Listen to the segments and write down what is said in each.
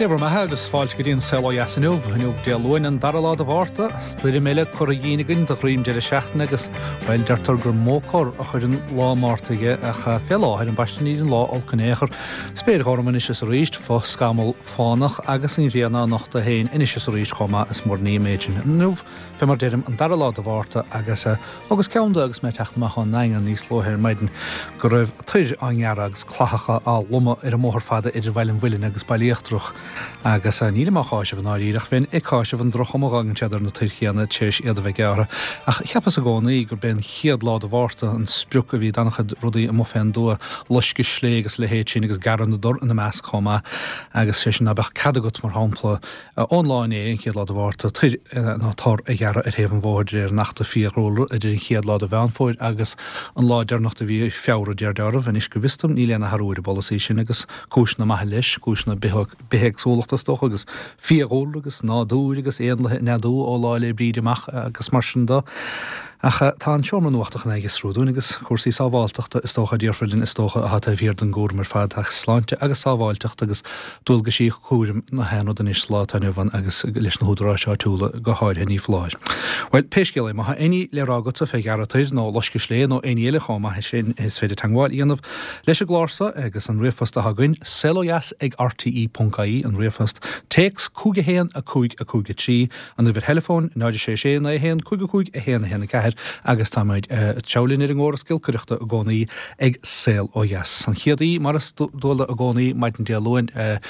Dé bhur mbeatha agus fáilte go dtí an Saol Ó Dheas inniu. Inniu Dé Luain an dara lá de Mhárta. Stoirm eile curtha dhínn againn de dhroim deireadh seachtaine agus, bhuel, deirtear gur mó cor a chuireann lá Márta dhe ach fé láthair, ambaiste níl an lá olc in aon chor. Spéir ghorm anois is arís, fo-scamall fánach agus an ghrian á nochtadh féin anois is arís chomh maith is mór an ní an méid sin. Inniu, fé mar deirim, an dara lá de Mhárta agus, Thugas ceann de agus mé ag teacht amach ón nDaingean níos luaithe ar maidin go raibh toir á ngearradh agus clathacha á lomadh ar an mbóthar fada idir Bhaile an Mhuilinn agus Baile Íochtarach agus nílim á cháiseamh i ndáiríre ach bheinn ag cáiseamh an droch-chuma a dh'fhágann siad ar na toir chéanna tar éis iad a bheith gearrtha. Ach cheapas i gcónaí gurb é an chéad lá de Mhárta an sprioc a bhí d'an-chuid rudaí amuigh fén dtuath, loisceadh slé agus a leithéid sin agus gearradh na dtor ina measc chomh maith agus sé sin ná beadh cead agat, mar shampla, Ón lá inné, an chéad lá de Mhárta, toir ná tor a ghearradh ar thaobh an bhóthair de réir an Achta Fiadhúlra idir an chéad lá de Mheán Fómhair agus an lá deireanach de mhí Feabhra, de réir dealraimh. Anois, go bhfios dom, níl aon athrú ar an bpolasaí sin agus cúiseanna maithe leis, cúiseanna bithéagsúlachta is dócha agus fiadhúlra agus nádúir agus éanlaithe ag neadú ó Lá 'le Bríde amach agus mar sin de. Ach tá an seomra nuachta chun é a fhiosrú dúinn agus cúrsaí sábháilteachta is dócha, a déarfar linn, is dócha, atá taobh thiar den gcúram ar fad ach sláinte agus sábháilteacht agus dualgaisí cúraim na haon rud anois sa lá atá inniu ann agus leis na húdaráis áitiúla go háirithe ní foláir. Bhuel, pé scéal é, má tá éinní le rá agatsa fé ghearradh toir nó loisceadh slé nó éinní eile chomh maith sin is féidir teagmháil a dhéanamh leis an gclár so agus an ríomhphost atá againn, saolodheas ag rte.ie an ríomhphost, téacs 5 1 5 5 3 An uimhir theileafóin, 0 6 6 9 1 5 5 1 1 4 agus táimid ag treabhadh linn ar an gcóras giolcaireachta i gcónaí ag Saol Ó Dheas. An chéad aoi, mar is dual i gcónaí, maidin Dé Luain, tar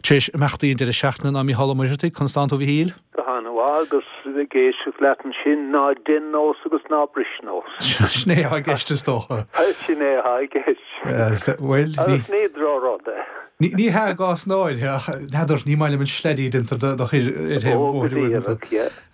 éis imeachtaí an deireadh seachtaine ná Mícheál Ó Muircheartaigh. Conas tánn tú, a Mhichíl? Go han-mhaith agus ag éisteacht leat ansin, ná dein nós agus ná bris nós. Sin é atá i gceist is dócha. Sin é atá i gceist. Bhuel, ní. Agus ní drochrud é. Ní hea i gcás in áirithe, ach n'fheadar, ní maith liom an sleaidí a deintear de thoir ar thaobh an bhóthair uaireanta.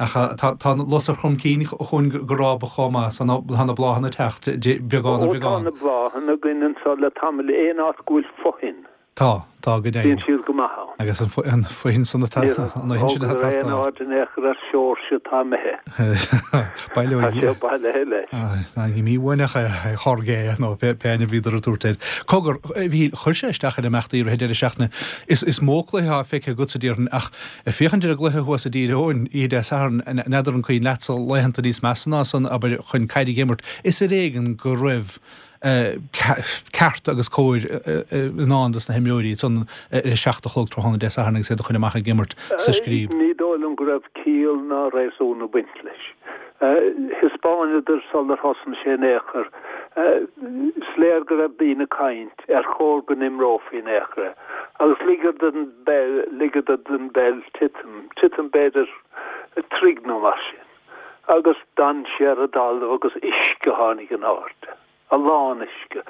Ach tá an lus ar Chrom Cinn chugainn go rábach chomh maith, so tá na bláthanna ag teacht, beagán ar bheagán. Ó tá na bláthanna againn anso le tamall, aon áit go bhfuil fothoinn. Tá, tá, go deimhin. Bíonn siad go maith ann. Agus an fothoinn san atá, an fhothoinn sin atá ag teastáil. Níor thógadar aon aird in aon chor ar Seoirse atá imithe. Baileoidh. Tá sé bailithe leis. Ní mímhúineach é Jorge nó pé ainm a bhíodar ag tabhairt air. Cogar, a Mhichíl, chuir sé isteach ar imeachtaí i rith an deireadh seachtaine. Is mó cluiche atá feicthe agatsa, déarfainn, ach ag féachaint ar an gcluiche thuas i dTír Eoghain oíche Dé Sathairn, n'fheadar an cuimhin leatsa laethanta níos measa ná san, abair, chun caid a dh'imirt. Is ar éigean go raibh ceart agus cóir i ndán dos na himreoirí ansan ar a 7 a chlog tráthnóna Dé Sathairn agus iad a chur amach ag imirt sa scríob. Ní dóigh liom go raibh ciall ná réasún ag baint leis. Thaispeáineadar sular thosnaigh sé in aon chor. Is léir go raibh daoine ag caint ar chóir go n-imreofaí in aon chor é. Agus ligeadar don bpeil, ligeadar don bpeil titim, titim b'fhéidir troigh nó mar sin. Agus d'fhan sé ar an dtalamh agus uisce a tháinig in airde, a lán uisce.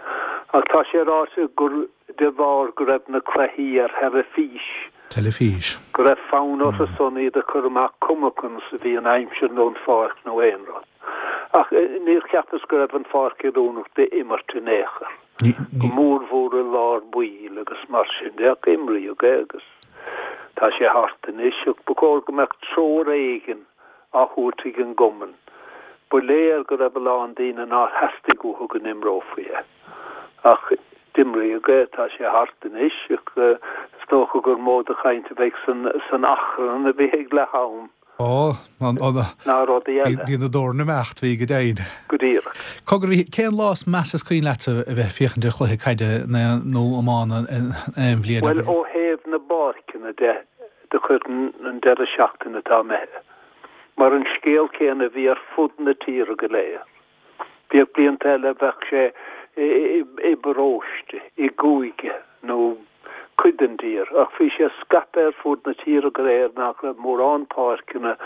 Ach tá sé ráite gur de bharr go raibh na cluichí ar theilifís, Teilifís. go raibh fonn orthu san iad a chur amach cuma conas a bhí an aimsir nó an pháirc nó aon rud. Ach níor cheapas go raibh an pháirc oiriúnach d'imirt in aon chor, go mórmhór i lár baill agus mar sin de. Ach imríodh é agus tá sé thart anois. Ach ba chóir go mbeadh treoir éigin á thabhairt ag an gcumann. Ba léir go raibh a lán daoine nár theastaigh uathu go n-imreofaí é. Ach d'imríodh é, tá sé thart anois, ach is dócha gur mó de chaint a bheidh san achrann a bhí ag leath am Ó, ná rudaí eile. Bhí na doirn ag imeacht, bhí go deimhin. Go díreach. Cogar, bhí, cén lá is measa is cuimhin leatsa a bheith ag féachaint ar chluiche caide nó iomána aon bhliain? Bhuel, ó thaobh na bpáirceanna de, do chuirfinn an deireadh seachtaine atá imithe, mar an scéal céanna a bhí ar fud na tíre go léir. Bhíodh blianta eile bheadh sé i bparóiste, i gcúige nó cuid den dtír, ach bhí sé scaipthe ar fud na tíre go léir nach raibh mórán páirceanna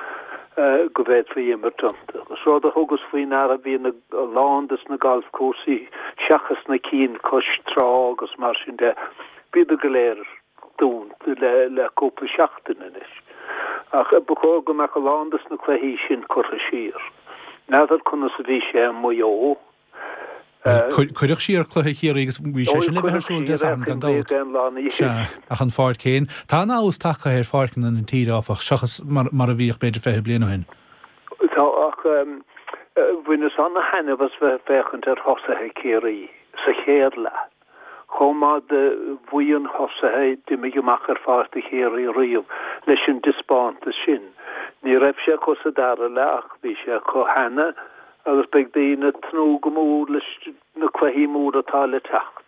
go bhféadfaí imirt iontu. Agus rud a thugas faoi ndeara bhí a lán des na galfchúrsaí, seachas na cinn cois trá agus mar sin de, bhíodar go léir dúnta le cúpla seachtain anois. Ach ba chóir go mbeadh a lán des na cluichí sin curtha siar. N'fheadar conas a bhí sé i Maigh Eo. Cuireadh siar cluiche Chiarraí agus bhí sé sin le bheith ar siúl Dé Sathairn gan dabht. Sea, ach an pháirc féin. Tá an-fheabhas tagtha ar pháirceanna na tíre, áfach, seachas mar a bhíodh b'fhéidir 20 bliain ó shin. Tá, ach bhaineas an-thaitneamh as bheith ag féachaint ar thosaithe Chiarraí sa chéad leath. Chomh maith de bhuíon thosaithe a d'imigh amach ar pháirc do Chiarraí riamh leis an dtaispeántas sin. Ní raibh sé acu sa dara leath ach bhí sé acu cheana agus beidh daoine ag tnúth go mór leis na cluichí móra atá le teacht.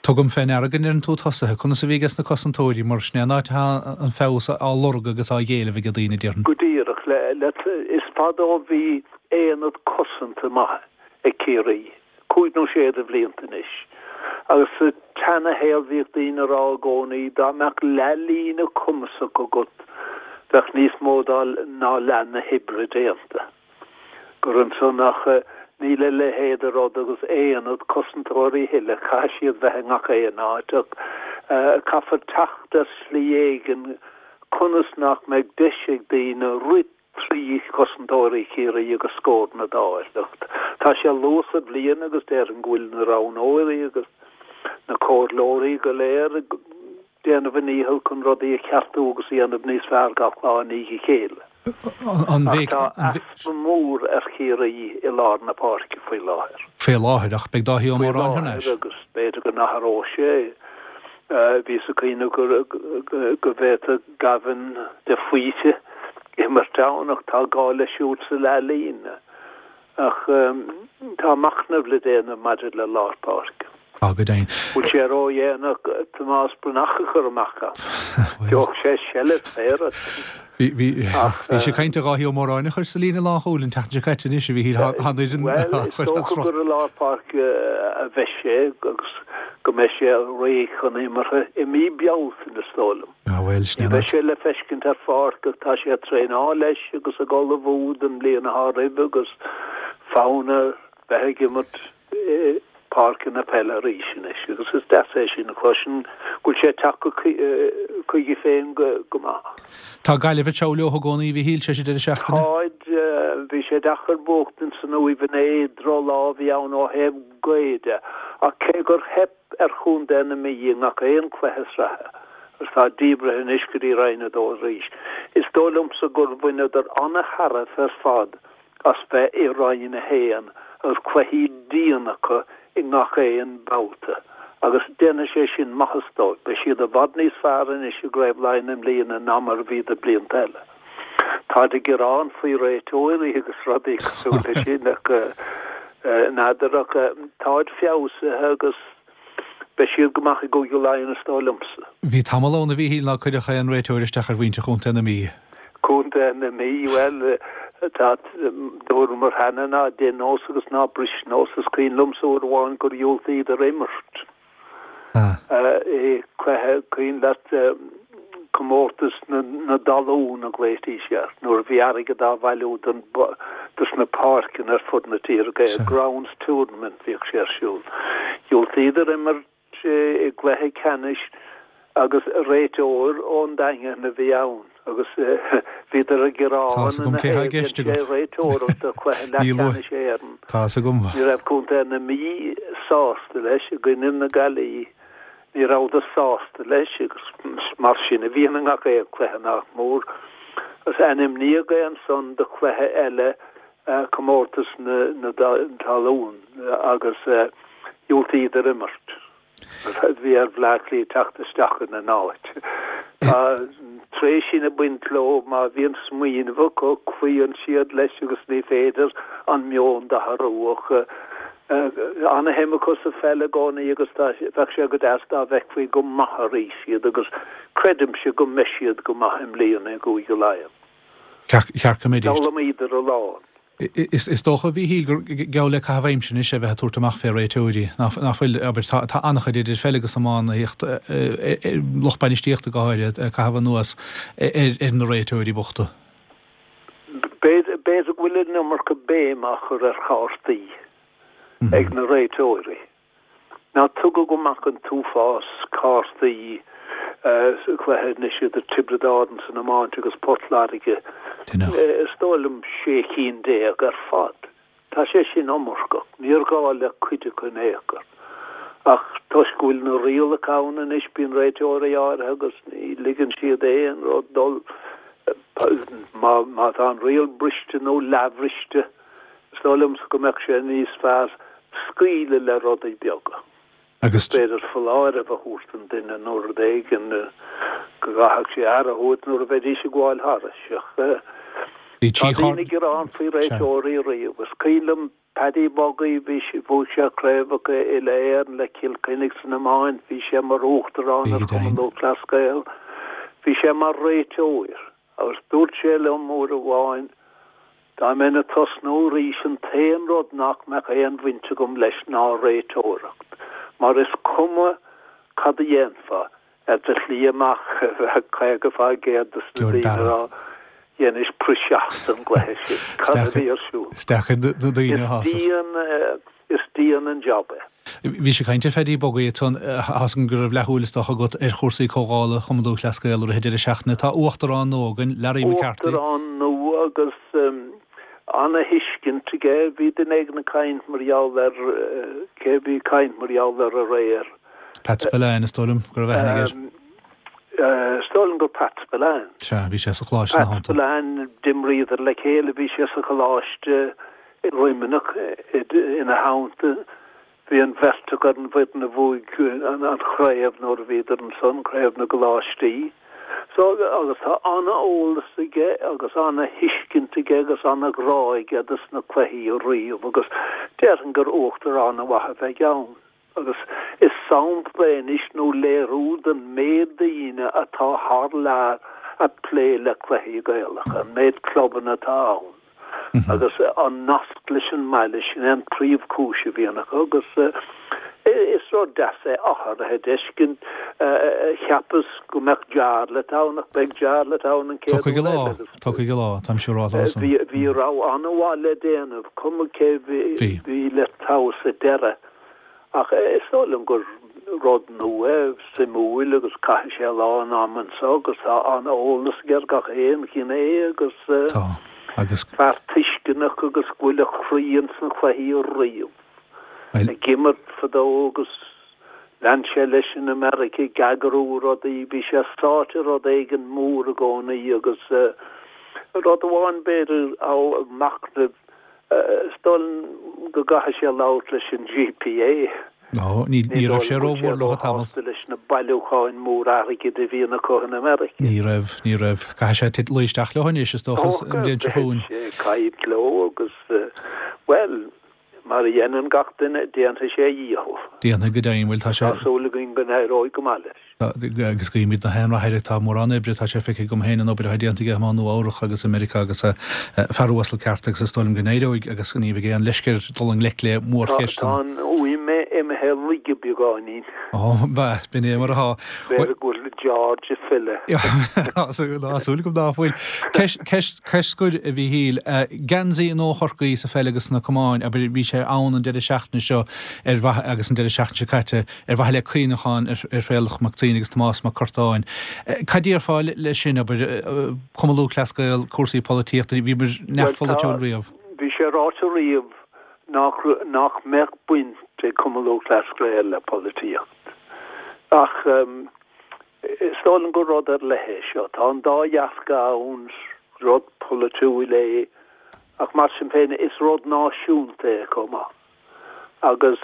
Tugaim fé ndeara go ndeireann tú tosaithe. Conas a bhí ages na cosantóirí, mar sin é an áit atá an feabhas á lorg agus á éileamh ag daoine, déarfainn. Go díreach. Is fada ó bhí aonad cosanta maith ag Ciarraí, cúig nó sé de bhlianta anois. Agus sa tseana-shaol bhíodh daoine a rá i gcónaí dá mbeadh leath-líne cumasach agat bheadh níos mó ná leath na hoibre déanta. gur ansan ach níl a leithéid de rud agus aonad cosantóirí a thuilleadh, caithfidh siad bheith i ngach aon áit ach caithfear teacht ar shlí éigin conas nach mbeidh deis ag daoine rith trí chosantóirí Chiarraí agus scóranna d'fháil. Ach tá sé luath sa bhliain agus déarfainn go bhfuil na roghnóirí agus na comhairleoirí go léir ag déanamh a ndícheall chun rudaí a cheartú agus a dhéanamh níos fearr gach lá i ndiaidh a chéile. Ach tá easpa mór ar Chiarraí i lár na páirce faoi láthair. Faoi láthair, ach beidh Dáithí Ó Móráin thar n-ais. Faoi láthair agus b'fhéidir go n-athróidh sé. Bhíos ag cuimhneamh go bhféadfadh Gavin de Faoite imirt ann ach tá gá leis siúd sa leathlíne. Ach tá machnamh le déanamh maidir le lár páirce. Tá, go deimhin. Bhfuil sé ródhéanach Tomás Breathnach a chur amach ann? Gheobhadh sé seilbh saor. Bhí sé ag caint ar Dháithí Ó Móráin a chur sa líne lánchúil an tseachtain seo caite anois, a Mhíchíl, tá an fhoireann á chur as riocht. Bhuel, is dócha gur i lár páirce a bheidh sé agus go mbeidh sé réidh chun imeartha i mí Bealtaine, is dóigh liom. Ah bhuel, sin é. Ní bheidh sé le feiscint ar pháirc ach tá sé ag traenáil leis agus ag ullmhú don mbliain atá roimhe agus fonn air bheith ag imirt i bpáirceanna peile arís anois agus is deas é sin a chloisint go bhfuil sé ag teacht chuige féin go maith. Tá Gaillimh ag treabhadh leo i gcónaí, a Mhíchíl, tar éis an deireadh seachtaine. Táid. Bhí sé deacair buachtaint san Uaimh inné, drochlá a bhí ann ó thaobh gaoth de ach cé gur theip ar chontae na Mí i ngach aon chluiche sraithe agus tá díbrithe anois go dtí Roinn 2 arís. Is dóigh liomsa gur bhaineadar an-tairbhe ar fad as bheith i Roinn 1 agus cluichí dian acu i ngach aon babhta agus déanfaidh sé sin maitheas dóibh. Beidh siad i bhfad níos fearr anois i gCraobh Laighean i mbliana ná mar a bhíodar blianta eile. Táid ag gearán faoi réiteoirí agus rudaí cosúil leis sin ach n'fheadar ach táid feabhsaithe agus beidh siad go maith i gCúige Laighean is dóigh liomsa. Bhí tamall ann a Mhíchíl ná cuirfeadh aon réiteoir isteach ar mhuintir Chontae na Mí. Contae na Mí, bhuel, tá, dúramar cheana ná dein nós agus ná bris nós. Is cuimhin liomsa uair amháin gur dhiúltaíodar imirt. i gcluiche, cuimhin leat comórtas na dtalún a ghlaoitís air, nuair a bhí airgead á bhailiú don, dos na páirceanna ar fud na tíre, Grounds Tournament bhíodh sé ar siúl. Dhiúltaíodar imirt i gcluiche ceannais agus réiteoir ón Daingean a bhí ann agus bhíodar ag gearán ina thaobh, dhein sé réiteoireacht do chluiche leathcheannais Éireann. Ní raibh contae na Mí sásta leis, i gcoinne na Gaillimhe, ní rabhadar sásta leis agus mar sin a bhíonn i ngach aon chluiche nach mór. Agus ainmníodh é ansan do chluiche eile, comórtas na talún agus dhiúltaíodar imirt. Bhí ar Bhleá Cliath teacht isteach ina n-áit. Tá an tréith sin ag baint leo, má bhíonn smaoineamh acu, cloíonn siad leis agus ní féidir an meon d'athrú. Ach ana-shuim acu sa pheil i gcónaí agus bheadh sé go deas dá bhfeicfí go maith arís iad agus creidimse go mbeidh siad go maith i mbliana i gCúige Laighean. Cheart go mbeidís. D'fhoghlaimíodar a lán. Is dócha, a Mhíchíl, gur geall le caitheamh aimsire anois é bheith ag tabhairt amach fé réiteoirí, nach bhfuil? Abair, tá an-chuid idir pheil agus iománaíocht, lucht bainistíochta go háirithe, ag caitheamh anuas ar na réiteoirí bochta. B'fhéidir go bhfuil an iomarca béim á chur ar chártaí ag na réiteoirí. Ná tugadh amach an t-uafás cártaí sa chluiche anois idir Tiobraid Árann san iomáint agus Port Láirge, is dóigh liom 16 cinn ar fad. Tá sé sin iomarcach. Níor ghá le cuid acu in aon chor. Ach toisc go bhfuil na rialacha ann anois bíonn réiteoirí áirithe agus ní ligeann siad aon rud dul má tá an riail briste nó leathbhriste. Is dóigh liomsa go mbeadh sé níos fearr scaoileadh le rudaí beaga. Agus. B'fhéidir foláireamh a thabhairt don duine nó rud éigin go gcaithfeadh sé aire a thabhairt nuair a bheidís ag gabháil thairis. Ach tá daoine ag gearán faoi réiteoirí riamh. Is cuimhin liom Paddy Buggy, bhí sé, bhuaigh sé craobhacha uile-Éireann le Cill Chainnigh san iomáint, bhí sé mar uachtarán ar Chumann Lúthchleas Gael, bhí sé mar réiteoir agus dúirt sé liom uair amháin, dá mbeinn ag tosnú arís an t-aon rud nach mbeadh aon bhaint agam leis ná réiteoireacht mar is cuma cad a dhéanfá, Ar do shlí amach bheadh 50% de na daoine ag rá, dheinis praiseach den gcluiche sin, cad a bhí ar siúl? Is deacair na daoine a shásamh. Is dian an job é. Bhís ag caint ar Phaddy Buggy ansan, tá's agam go raibh leathshúil is dócha agat ar chúrsaí Comhdhála Chumann Lúthchleas Gael i rith an deireadh seachtaine. Tá uachtarán nua againn, Larry McCarthy. Uachtarán nua agus ana-thuiscint aige. Bhí duine éigin ag caint mar gheall air, cé a bhí ag caint mar gheall air aréir? Pat Spillane, is dóigh liom go raibh aithne aige air. Is dóigh liom gur Pat Spillane. Sea, bhí sé sa choláiste ina theannta. Pat Spillane, d'imríodar le chéile, bhí sé sa choláiste i Luimneach ina theannta. Bhí an bheirt acu ar an bhfoireann a bhuaigh an chraobh nuair a bhíodar ansan, craobh na gcoláistí. So, agus tá an-eolas aige agus an-thuiscint aige agus an-ghrá aige dos na cluichí ariamh agus déarfainn gur uachtarán an-mhaith a bheidh ann. Agus is sampla é anois nó léiriú den méid daoine atá thar lear ag plé le cluichí Gaelacha, an méid clubanna atá ann agus an nasc leis an mbaile, sin é an príomhchúis a bhíonn acu agus is rud deas é athruithe a d'fheiscint. Cheapas go mbeadh Jarlath ann ach beidh Jarlath ann an chéad uair eile agus Tiocfaidh a lá, táim siúráilte san. Bhí rogha an-mhaith le déanamh, cuma cé bhí le toghadh sa deireadh. Ach is dóigh liom gur rud nua é, suimiúil agus caithfidh sé a lán ama anseo agus tá an-eolas aige ar gach aon ghné agus Tá, agus. fear tuisceanach agus go bhfuil a chroí ins na cluichí riamh. Ag imirt fadó agus lean sé leis in America ag eagrú rudaí, bhí sé sáite i rud éigin mór i gcónaí agus rud amháin b'fhéidir ábhar machnaimh Is dóigh liom go gcaithfidh sé labhairt leis an GPA. Nó ní raibh sé rómhór leo tamall. leis na bailiúcháin mór airgid a bhíonn acu in America. Ní raibh, ní raibh. Caithfidh sé luí isteach leo anois, is dócha, an bhliain seo chugainn. Beidh sé ag caint leo agus, bhuel, mar a dhéanann gach duine, déanfaidh sé a dhícheall. Déanfaidh go deimhin, bhuel, tá sé. Tá súil againn go n-éireoidh go maith leis. Agus guímid gach aon rath air. Tá mórán oibre, tá sé feicthe agam féin an obair atá déanta aige i Má Nua Eabhrach agus i Meiriceá agus fear uasal ceart agus is dóigh liom go n-éireoidh agus ní bheidh aon leisce air dul i ngleic le mórcheisteanna. Tá an fhuaim imithe i laige beagáinín. Ó, bhuel, b'in é mar atá. B'fhéidir go bhfuil George ag filleadh. Tá súil agam ná fuil. Ceist scoir, a Mhíchíl. Geansaí nua Chorcaí sa pheil agus sna camáin, abair, bhí sé ann an deireadh seachtaine seo ar mhaithe agus an deireadh seachtaine seo caite, ar mhaithe le cuimhneachán ar Thraolach Mac Suibhne agus Tomás Mac Curtáin. Cad déarfá leis sin, abair, Cumann Lúthchleas Gael, cúrsaí polaitíochta, bhíomar neamhpholaitiúil riamh. Bhí sé ráite riamh nach nach mbeadh baint ag Cumann Lúthchleas Gael le polaitíocht. Ach is dóigh liom gur rud ar leith é seo. Tá an dá dhearcadh ann, rud polaitiúil é ach mar sin féin is rud náisiúnta é chomh maith. Agus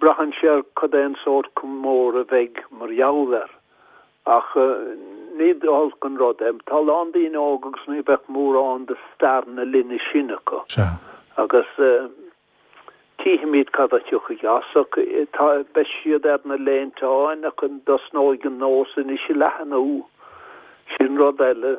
braitheann sé ar cad é an sórt comóradh a bheidh mar gheall air. Ach ní holc an rud é. Tá a lán daoine óga agus ní bheadh mórán de stair na linne sin acu. Sea. Agus cífimid cad a thiocfaidh as. Ach tá, beidh siad ar na léinteáin ach an dtosnóidh an nós anois a leathnú? Sin rud eile.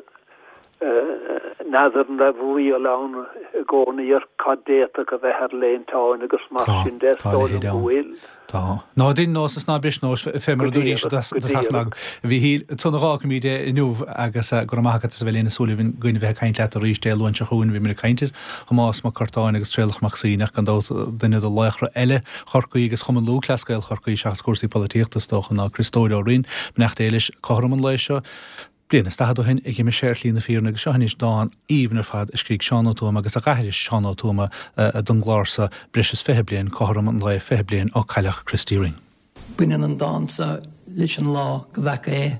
N'fheadar an raibh riail ann i gcónaí ar cad d'fhéadfadh a bheith ar léinteáin agus mar sin de, is dóigh liom go bhfuil. Tá. Ná dein nós is ná bris nós, fé mar a dúraís i dtosach an agallaimh. A Mhíchíl, ansan a dh'fhágfaimid é inniu agus go raibh maith agat as a bheith linn is súil againn a bheith ag caint leat arís Dé Luain seo chugainn. Bhíomar ag caint ar Thomás Mac Curtáin agus Traolach Mac Suibhne ach gan dabht duine de laochra eile Chorcaí agus Chumann Lúthchleas Gael Chorcaí seachas cúrsaí polaitíochta is dócha ná Criostóir Ó Rinn. Beannacht Dé leis cothrom an lae seo. Bliain is 40 ó shin a dh'imigh sé ar shlí na fírinne agus seo anois dán aoibhinn ar fad a scrígh Seán Ó Tuama agus a dh'aithris Seán Ó Tuama don gclár so breis is 20 bliain, cothrom an lae 20 bliain ó cailleadh Christy Ring. Baineann an dán so leis an lá go bhfeaca é,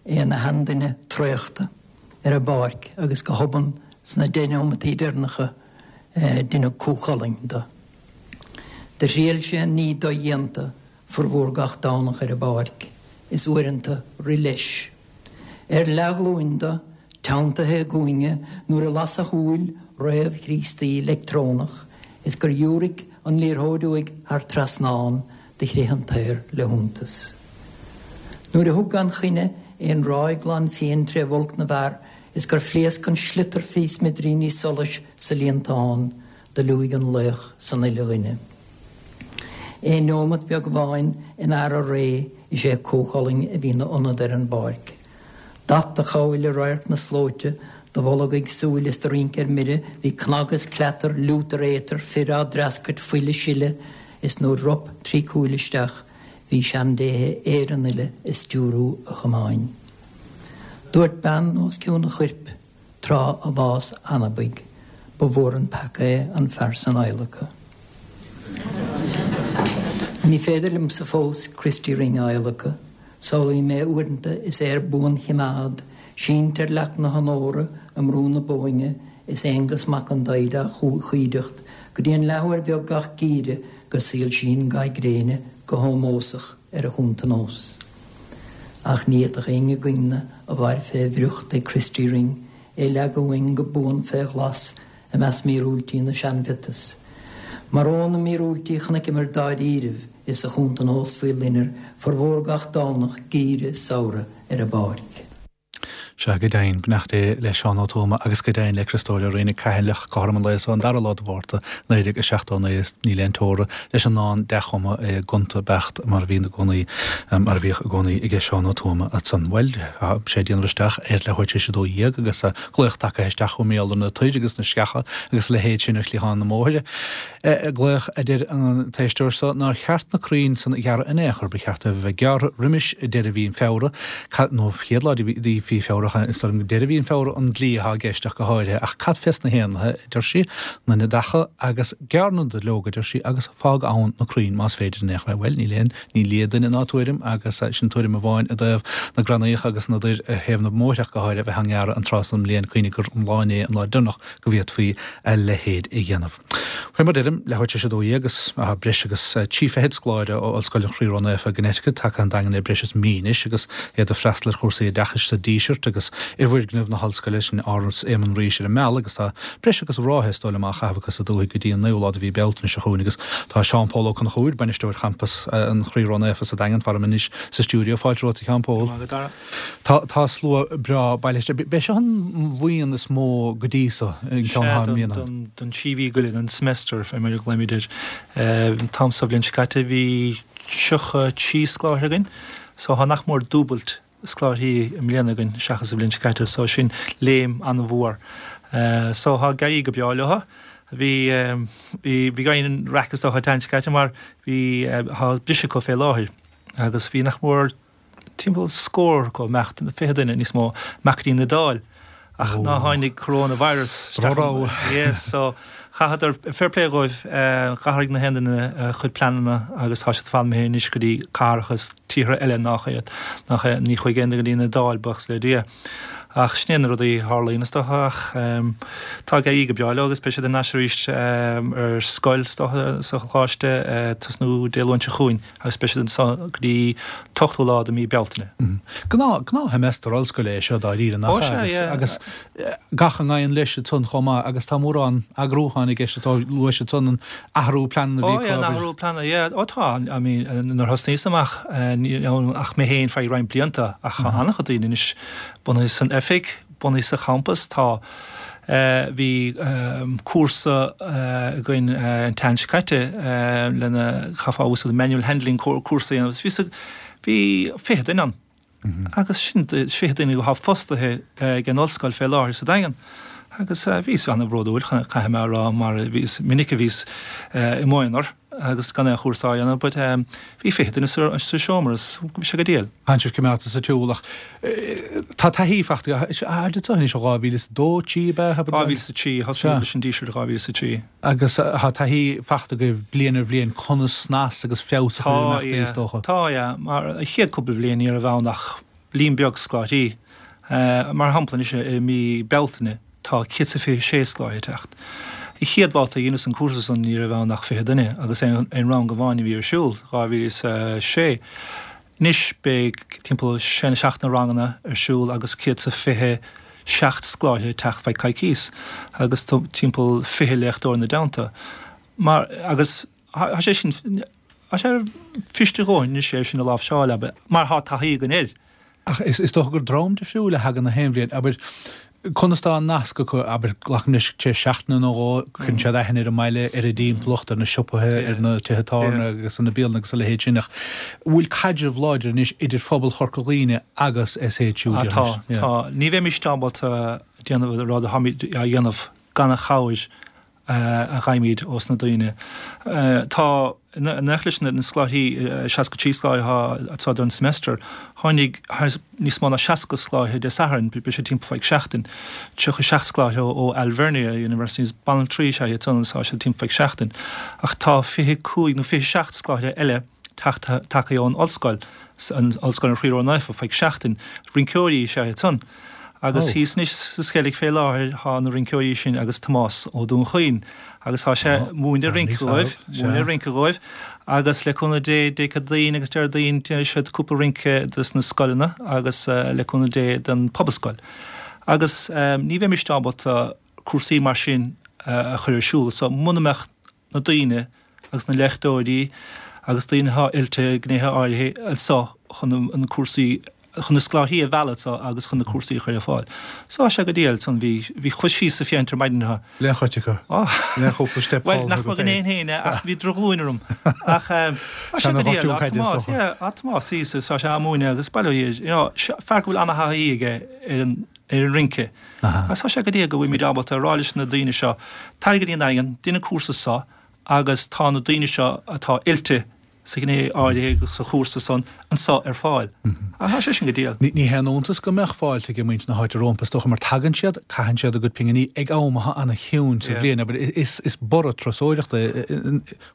é ina sheanduine traochta ar an bpáirc agus go hobann sna deich neomataí deireanacha deineadh Cú Chulainn de. Do thriail sé an ní dodhéanta formhór gach Domhnach ar an bpáirc, is uaireanta rith leis. Ar leathghlúin do, teanntaithe i gcúinne nuair a las a shúil réamh-Chríostaí leictreonach is gur dhiúraic an liathróid uaidh thar trasnán, do chrith an t-aer le hiontas. Nuair a thug gan choinne aon ráig glan fiain tré bhulc na bhfear is gur phléasc an sliotar fé smidiríní solais sa líontán, do liúigh an laoch san uile dhuine. Aon neomat beag amháin in earra ré is é Cú Chulainn a bhí 'na ionad ar an bpáirc. D'at a chabhail i radharc na slóite, do bholg ag súil is do rince ar mire, bhí cnag is cleatar, liútar éatar, fir á dtreascairt, fuil a sileadh, is nuair rop trí cúil isteach, bhí seandéithe Éireann uile ag stiúrú a chamáin. Dúirt bean os cionn a choirp, tráth a bhás anabaidh, ba mhór an peaca é an fear san adhlacadh. Ní féidir liomsa fós Christy Ring a adhlacadh. Samhlaím é uaireanta is é ar buanchimeád, sínte ar leac na honóra i mBrú na Bóinne is Aonghus Mac an Daghda á chuideacht go dtí an leathuair bheag gach geimhreadh go soilsíonn ga gréine go hómósach ar a chuntanós. Ach ní fhéadfadh éinne againne a mhair fé bhriocht ag Christy Ring é leagadh uainn go buan fé ghlas i measc míorúiltí na seanmhiotas. Mar ó na míorúiltí chonaiceamar dáiríribh is a chuntanós faoi loinnir formhór gach Domhnach geimhridh is samhraidh ar an bpáirc. Sea, go deimhin, beannacht Dé le Seán Ó Tuama agus go deimhin le Criostóir Ó Riain, Cathaoirleach cothrom an lae so, an dara lá de Mhárta, 1979, is níl aon teora leis an ndán dea-chumtha é gonta beacht mar a bhíonn i gcónaí, mar a bhíodh i gcónaí aige Seán Ó Tuama ansan. Bhuel, tá sé ag déanamh isteach ar leathuair tar éis a 12 agus glaoch tagtha isteach chugam mar gheall ar na toir agus na sceacha agus a leithéid sin ar chliathán na mbóithre. Glaoch, a deir an t-éisteoir so, nár cheart na crainn san a ghearradh in aon chor, ba cheart dóibh a bheith gearrtha roimis deireadh mhí an Feabhra, nó chéad lá de mhí Feabhra, is dóigh liom deireadh mhí an Feabhra an dlí atá i gceist ach go háirithe, ach cad fés na héanlaithe, a deir sí, na neadacha agus gearr na duilleoga, a deir sí, agus fág ann na crainn más féidir in aon chor é. Bhuel, níl aon ní lia duine ná tuairim agus sin tuairim amháin i dtaobh na gcrannaíocha agus na dtoir ar thaobh na mbóithre ach go háirithe a bheith á ngearradh an tráth san den mbliain, cuimhnigh gur an lá inné an lá deireanach go bhféadfaí a leithéid a dhéanamh. Fé mar deirim, leathuair tar éis 12 agus tá breis agus 30 fichead scoláire ó Ollscoil an Chroí Ró-Naofa i gConnecticut tagtha chun an Daingin le breis is mí anois agus iad ag freastal ar chúrsaí oideachais sa Díseart agus i bhfoirgneamh na hOllscoile, sin Áras Éamann Rís ar an Meal agus tá breis agus ráithe is dóigh liom á chaitheamh acu sa dúthaigh go dtí an naoú lá de mhí Bealtaine seo chugainn agus tá Seán Pól Ó Conchúir, Bainisteoir Champas an Chroí Ró-Naofa sa Daingean, faram anois sa stiúideo. Fáilte romhat a Sheáin Pól. Go raibh maith agat, Dara. Tá, tá slua breá bailithe isteach. B'é seo an bhuíon is mó go dtí so, an ceann atá i mbliana. Sea, don trí mhí go leith, don semester, fé mar a ghlaoimid air. An t-am so bhliain seo caite bhí 33 scoláire againn, so tá nach mór dúbailt scoláirí i mbliana againn seachas an bhliain seo caite, so sin léim an-mhór. So tá ag éirí go breá leo. Bhí, bhí, bhí an-raic is dócha an tseachtain seo caite mar bhí, tá briseadh acu fé láthair agus bhí nach mór, timpeall scór acu, imeacht, 20 duine, níos mó, imeacht go dtí an Iodáil ach ná tháinig coronavirus isteach. Yes, so chaitheadar, fair play dhóibh, d'athraigh na haon duine a chuid pleananna agus tá siad fad imithe anois go dtí cathracha is tíortha eile nach iad, nach é, ní chuaigh aon duine go dtí an Iodáil, buíochas le Dia. Ach sin é na rudaí a tharlaíonn is dócha ach tá ag éirí go breá leo agus beidh siad ar ais arís ar scoil is dócha sa choláiste tosnú Dé Luain seo chugainn. agus beidh siad anseo go dtí an t-ochtú lá de mí Bealtaine. Gnáth, gnáthsheimeastar ollscoile é seo dáiríre, nach Ó, sea, ea? yeah. Agus gach a ngabhann leis ansan chomh maith agus tá mórán eagrúcháin i gceist atá luaite ansan an athrú pleananna a Ó, bhí acu yeah, an abair. athrú pleananna, yeah. Ó tá, I mean, nuair a thosnaíos amach, ní raibh ach mé féin feadh roinnt blianta ach tá an-chuid daoine anois bunaithe san oifig, bunaithe sa champas. Tá, bhí cúrsa againn an tseachtain seo caite lena chaithfeá úsáid manual handling cúrsa a dhéanamh agus bhí sa, bhí 20 duine ann agus sin 20 duine atá fostaithe ag an ollscoil fé láthair sa Daingean agus bhíos an-bhródúil, caithfidh mé a rá, mar is minic a bhíos i m'aonar agus gan aon chúrsa á dhéanamh but bhí 20 duine sa seomra is bhí sé go diail. Tánn sibh coimeádta sa tsiúl ach tá taithí fachta agat anseo anois ó 2002, 3 ab ea? 2003, thosaigh muid leis an Díseart 2003. Agus tá taithí fachta agaibh bliain ar bhliain conas snas agus feabhas a chur ar imeachtaí is dócha. Tá, yeah. Mar an chéad cúpla bhliain ní raibh ann ach líon beag scoláirí. Mar shampla anois i mí Bealtaine tá 126 scoláire ag teacht. An chéad bhabhta a dheineas an cúrsa san ní raibh ann ach 20 duine agus aon rang amháin a bhí ar siúl, 2006. Anois beidh timpeall sé nó seacht na ranganna ar siúl agus 127 scoláire ag teacht feadh coicíos agus timpeall 20 léachtóir ina dteannta. Mar, agus tá sé sin, tá sé fuirist a dhóthain anois é sin a láimhseáil, abair, mar tá taithí againn air. Ach is dócha gur dream difriúil a thagann na haon bhliain, abair, conas tá an nasc acu, abair, glacaim leis, tar éis seachtaine nó dhó, cuireann siad aithne ar an mbaile, ar an dtimpeallacht, ar na siopaithe, ar na tithe tábhairne agus ar na bialanna agus a leithéid sin, ach bhfuil caidreamh láidir anois idir phobal Chorca Dhuibhne agus SHU, déarfainnse? Tá, tá. Ní bheimis ábalta déanamh an rud atáimid á dhéanamh gan an chabhair a fhaighimid ós na daoine. Tá, in éineacht leis na scoláirí, 63 scoláire atá don semester, tháinig níos mó ná 60 scoláire Dé Sathairn, beidh sé timpeall feadh seachtain, 37 scoláire ó Alvernia University, is banaltraí is ea iad san agus tá siad timpeall feadh seachtain. Ach tá 25 nó 27 scoláire eile tagtha ón ollscoil, an Ollscoil an Chroí Ró-Naofa, feadh seachtain. Rinceoirí is ea iad san. Agus thíos anois sa Sceilg fé láthair thá na rinceoirí sin agus Tomás Ó Dúnchaoin agus thá sé ag múineadh rince dhóibh, múineadh rince dhóibh agus le cúnamh Dé Dé Céadaoin agus Déardaoin déanfaidh siad cúpla rince dos na scoileanna agus le cúnamh Dé don Pobalscoil. Agus ní bheimis ábalta cúrsaí mar sin a chur ar siúl so muna mbeadh na daoine agus na léachtóirí agus daoine atá oilte i ngnéithe áirithe anso chun na cúrsaí, chun na scoláirí a mhealladh anso agus chun na cúrsaí a chur ar fáil. So tá sé go diail ansan, bhí, bhí chuas síos sa phéint ar maidin anseo. Le chuid acu. Le chúpla steip Bhuel, nach mba ghné féin é ach bhí drochghlúin orm. Ach tá sé go diail, tá Tomás, yeah, tá Tomás thíos is tá sé á múineadh agus bail ó Dhia air, you know, fear go bhfuil ana-thaithí aige ar an, ar an rince. Agus tá sé go diail go bhfuilimid ábalta a rá leis na daoine seo, tar go dtí an Daingean, déan an cúrsa seo agus tá na daoine seo atá oilte sa ghné áirithe agus sa chúrsa san anseo ar fáil. Agus tá sé sin go diail. Ní haon iontas go mbeadh fáilte ag muintir na háite rompu, is dócha, mar tagann siad, caitheann siad a gcuid pinginí ag am atá ana-chiúin sa bhliain, abair, is borradh turasóireachta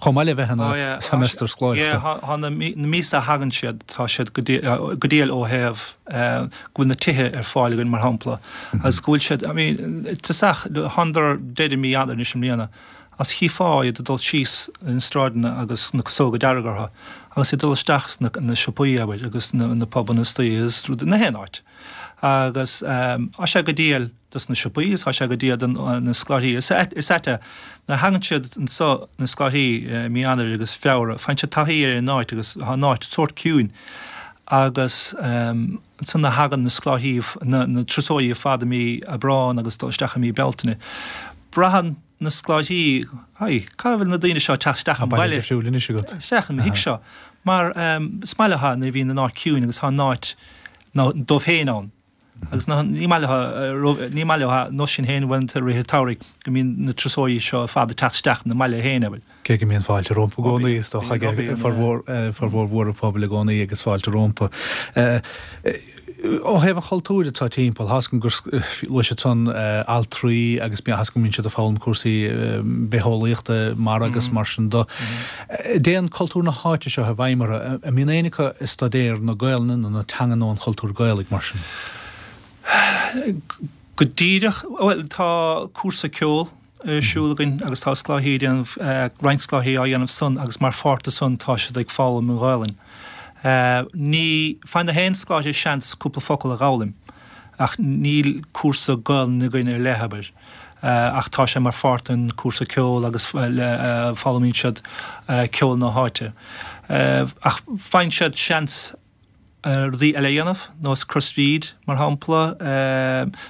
Chomh maith le bheith ina seimeastar scoláireachta. Yeah, tá na míosa a thagann siad, tá siad go diail ó thaobh go bhfuil na tithe ar fáil againn, mar shampla, agus go bhfuil siad, I mean, tosach, thánadar deireadh mí Eanáir anois i mbliana, agus chífeá iad ag dul síos na sráideanna agus na casóga dearga orthu, agus iad ag dul isteach sna siopaí, abair, agus na pubanna istoíche agus rud, na haon áit. Agus tá sé go diail. dos na siopaí is tá sé go diail do na scoláirí. Is ait é, nuair a thagann siad anso, na scoláirí, i mí Eanáir agus Feabhra, faigheann siad taithí ar an áit agus tá an áit sórt ciúin agus ansan nuair a thagann na scoláirí, na turasóirí ar fad i mí Aibreán agus dul isteach i mí Bealtaine, braitheann na scoláirí, ai, cá bhfuil na daoine seo ag teacht isteach an baile, isteach i mo thigh seo, mar is maith leo nuair a bhíonn an áit ciúin agus tá an áit dóibh féin ann. Agus ní maith leo, ní maith leo nós sin féin uaireanta i rith an tsamhraidh go mbíonn na turasóirí seo ar fad ag teacht isteach na mbaile féin, abair. Cé go mbíonn fáilte rompu i gcónaí, is dócha, ag formhór, formhór mhór an phobail i gcónaí agus fáilte rompu. Ó thaobh an chultúir atá timpeall, tá 'fhios agam gur luaigh siad san altraí agus tá 'fhios agam go mbíonn siad ag foghlaim cúrsaí bitheolaíochta mara agus mar sin de. Dtéann cultúr na háite seo i bhfeidhm orthu. An mbíonn éinne acu ag staidéar na Gaelainne nó na teanga nó an chultúir Gaelaigh mar sin? Go díreach, bhuel, tá cúrsa ceoil ar siúl againn agus tá scoláirí ag déanamh, roinnt scoláirí á dhéanamh san agus mar pháirt de san tá siad ag foghlaim an Ghaelainn. Ní, faigheann na haon scoláire seans cúpla focal a dh'fhoghlaim ach níl cúrsa Gaelainne againn ar leith, abair. ach tá sé mar pháirt den cúrsa ceoil agus foghlaimíonn siad ceol na háite. Ach faigheann siad seans rudaí eile a dhéanamh, nós Crois Bhríde mar shampla,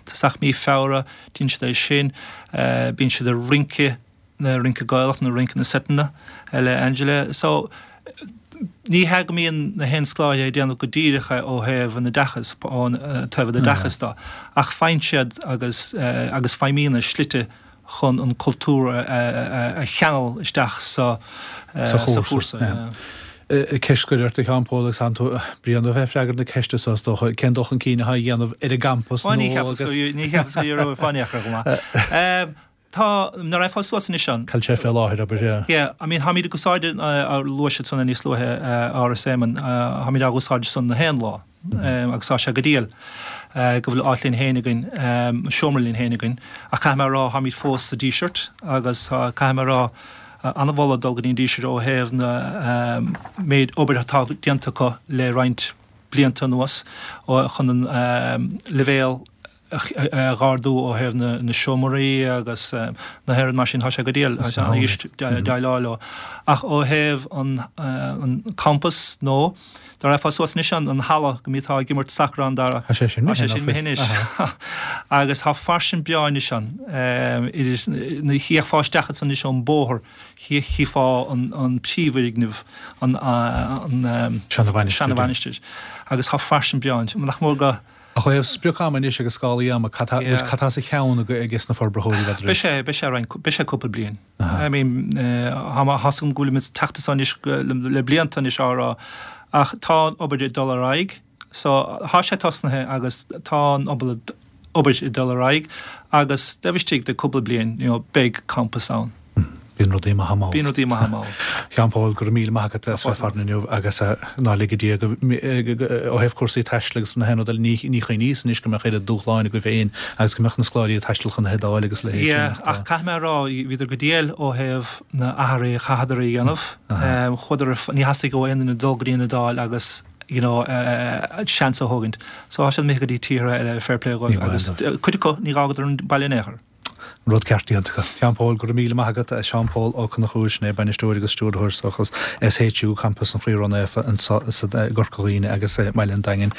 tosach mí Feabhra, déanann siad é sin, bíonn siad ag rince, rince Gaelach nó rince na seiteanna le Angela. So Ní hea go mbíonn na haon scoláire ag déanamh go díreach é ó thaobh an oideachais, ón taobh an oideachais de, ach faigheann siad agus agus feidhmíonn slite chun an cultúr a cheangal isteach sa sa chúrsa. Ceist scoir ort, a Sheáin Phóil, agus tánn tú bréan de bheith ag freagairt na ceiste seo, is dócha. Cén dul chun cinn atá á dhéanamh ar an gcampas nua agus. Ní cheapas go raibh fáinne acu chomh maith. Tá, nuair a fáil suas anois an. Cá bhfuil sé fé láthair, abair, yeah. Yeah, I mean, táimid ag úsáid, luaigh siad san níos luaithe, Áras Éamonn, táimid á úsáid san na haon lá, agus tá sé go diail. Go bhfuil áit linn féin againn, seomra linn féin againn. Ach caithfidh mé a rá, táimid fós sa Díseart agus caithfidh mé a rá, an-mholadh dul go dtí an Díseart ó thaobh na méid obair atá déanta acu le roinnt blianta anuas chun an leibhéal a dh'ardú ó thaobh na seomraí agus na haon rud mar sin, tá sé go diail, tá sé ana-dheas déileáil leo. Ach ó thaobh an campas nó dá raghfá suas anois an halla go mbíteá ag imirt sacar ann Dara, Tá sé sin tá sé sin imithe anois. Agus tá faisean breá anois ann. Idir, thiocfá isteach ansan anois ón bóthar, chífeá an príomhfhoirgneamh, an seana-mhainistir. Agus tá faisean breá ann. Nach mór go. Ach ó thaobh sprioc-ama anois agus scálaí ama, cad tá sa cheann ages na forbraitheoirí, n'fheadar? Beidh sé, beidh sé roinnt, beidh sé cúpla bliain. I mean, tá mé, tá's agam go bhfuilimid ag teacht anso anois le blianta anois á rá, ach tá an obair ag dul ar aghaidh, so tá sé tosnaithe agus tá an obair ag dul ar aghaidh agus taobh istigh de cúpla bliain, you know, beidh campas ann. Bíonn rudaí maithe mall. Bíonn rudaí maithe mall. A Sheáin Phóil, go raibh míle maith agat as bheith farainn inniu agus ná lige Dia go, ó thaobh cúrsaí taistil agus na haon rud eile, ní chuimhníos anois go mbeadh oiread dúshláin agaibh féin agus go mbeadh na scoláirí ag taisteal chun na hIodáile agus a leithéid sin. Yeah, ach caithfidh mé a rá, bhíodar go diail ó thaobh na athruithe a chaitheadar a dhéanamh. Chuadar, ní theastaigh ó aon duine dul go dtí an Iodáil agus you know, seans a thógaint. So tá siad imithe go dtí tíortha eile, fair play dhóibh agus cuid acu ní dh'fhágadar an baile in aon chor. An rud ceart déanta acu. Seán Pól, go raibh míle maith agat. Seán Pól Ó Conchúir, sin é bainisteoir agus stiúrthóir is dócha SHU, Campas an Chroí Ró-Naofa anseo i gCorca Dhuibhne agus i mbaile an Daingin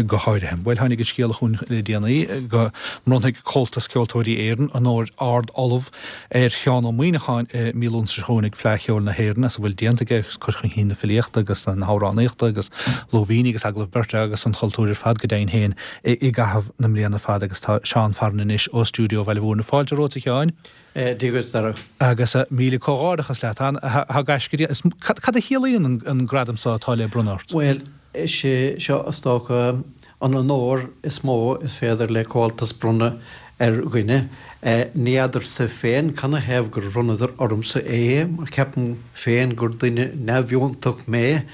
go háirithe. Bhuel, tháinig an scéala chugainn le déanaí go mbronnfaidh Comhaltas Ceoltóirí Éireann onóir Ard-Ollamh ar Sheán Ó Muimhneacháin i mí Lúnasa seo chugainn ag Fleadh Cheoil na hÉireann as a bhfuil déanta aige ag cur chun cinn na filíochta agus na hamhránaíochta agus lúibíní agus agallamh beirte agus an chultúir ar fad go deimhin féin. i gcaitheamh na mbliana fada agus tá Seán farainn anois ó stiúideo Bhaile Mhúirne. Fáilte romhat a Sheáin. Dia dhuit, Dara. Agus míle comhghairdeachas leat. Tá gaisce déanta. Cad a chiallaíonn an gradam seo atá le bronnadh ort? Bhuel, is é seo is dócha an onóir is mó is féidir le Comhaltas bronnadh ar dhuine. Ní fheadarsa féin canathaobh gur bhronnadar ormsa é, mar ceapaim féin gur duine neamhfhiúntach mé,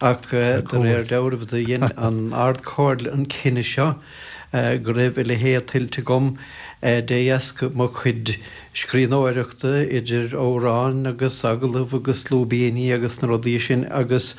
ach de réir dealraimh do dhein an Ard-Chomhairle an cinneadh seo go raibh a leithéid tuillte agam de dheasca mo chuid scríbhneoireachta, idir amhráin agus agallaimh agus lúibíní agus na rudaí sin, agus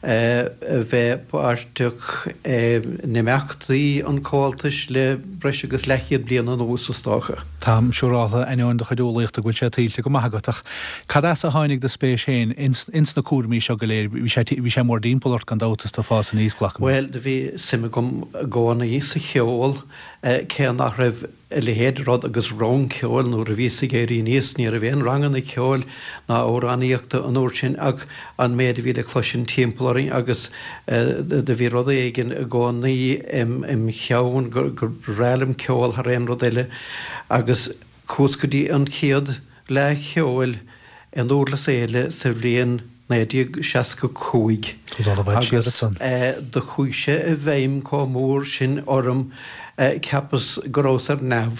a bheith páirteach in imeachtaí an Chomhaltais le breis agus leathchéad bliain anuas, is dócha. Táim siúráltha, ainneoin do chuid umhlaíochta, go bhfuil sé tuillte go maith agat, ach cad as a tháinig do spéis féin ins na cúraimí seo go léir? Bhí sé, bhí sé mórdtimpeall ort gan dabht is tú ag fás aníos, glacaim leis. Bhuel, do bhí suim agam i gcónaí sa cheol, cé nach raibh a leithéid de rud agus rang ceoil nuair a bhíos ag éirí aníos. Ní raibh aon ranganna ceoil ná amhránaíochta an uair sin ach an méid a bhí le cloisint timpeall orainn agus do bhí rud éigin i gcónaí im cheann gur bhreá liom ceol thar aon rud eile agus chuas go dtí an chéad Fhleadh Cheoil i nDúrlas Éile sa bhliain 1965 agus do chuaigh sé i bhfeidhm chomh mór sin orm cheapas go rabhas ar neamh.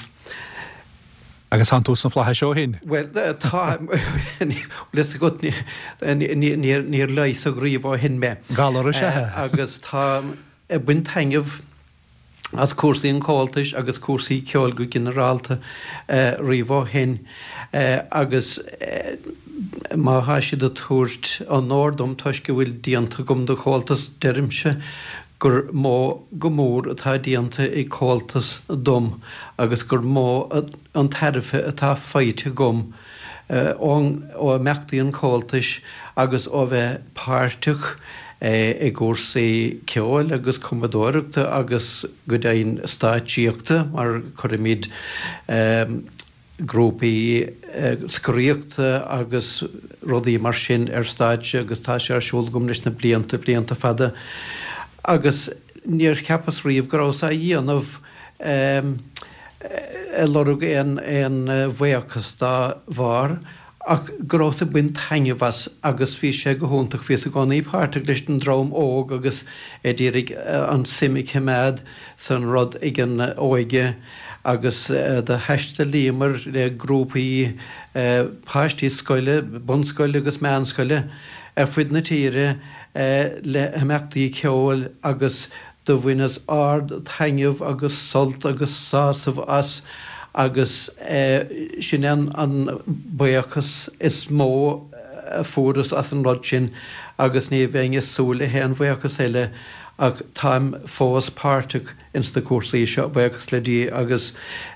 Agus tánn tú sna flaithis ó shin? Bhuel, tá, bhfuil fhios agat, níor leigheasadh riamh ó shin mé. Galar is ea é. Agus táim ag baint taitneamh as cúrsaí an Chomhaltais agus cúrsaí ceoil go ginearálta riamh ó shin agus má thá siad ag tabhairt onóir dom toisc a bhfuil déanta agam do Chomhaltas, deirimse gur mó go mór atá déanta ag Comhaltas dom agus gur mó an tairbhe atá faighte agam ó imeachtaí an Chomhaltais agus ó bheith páirteach i gcúrsaí ceoil agus cumadóireachta agus go deimhin stáitsíochta mar cuirimid grúpaí scoraíochta agus rudaí mar sin ar stáitse agus tá sé ar siúl agam leis na blianta, blianta fada agus níor cheapas riamh go rabhas á dhéanamh. ag lorg aon bhuíochas dá bharr ach go rabhas ag baint taitneamh as agus bhí sé go hiontach. Bhíos i gcónaí páirteach leis an dream óg agus ag iarraidh an suim a choimeád san rud ag an óige agus do thaistealaíomar le grúpaí páistí scoile, bunscoile agus meánscoile ar fuid na tíre le himeachtaí ceoil agus. Do bhaineas ard-taitneamh agus sult agus sásamh as agus sin é an buíochas is mó a fuaireas as an rud sin agus ní bheinn ag súil le haon bhuíochas eile ach táim fós páirteach ins na cúrsaí seo, buíochas le Dia, agus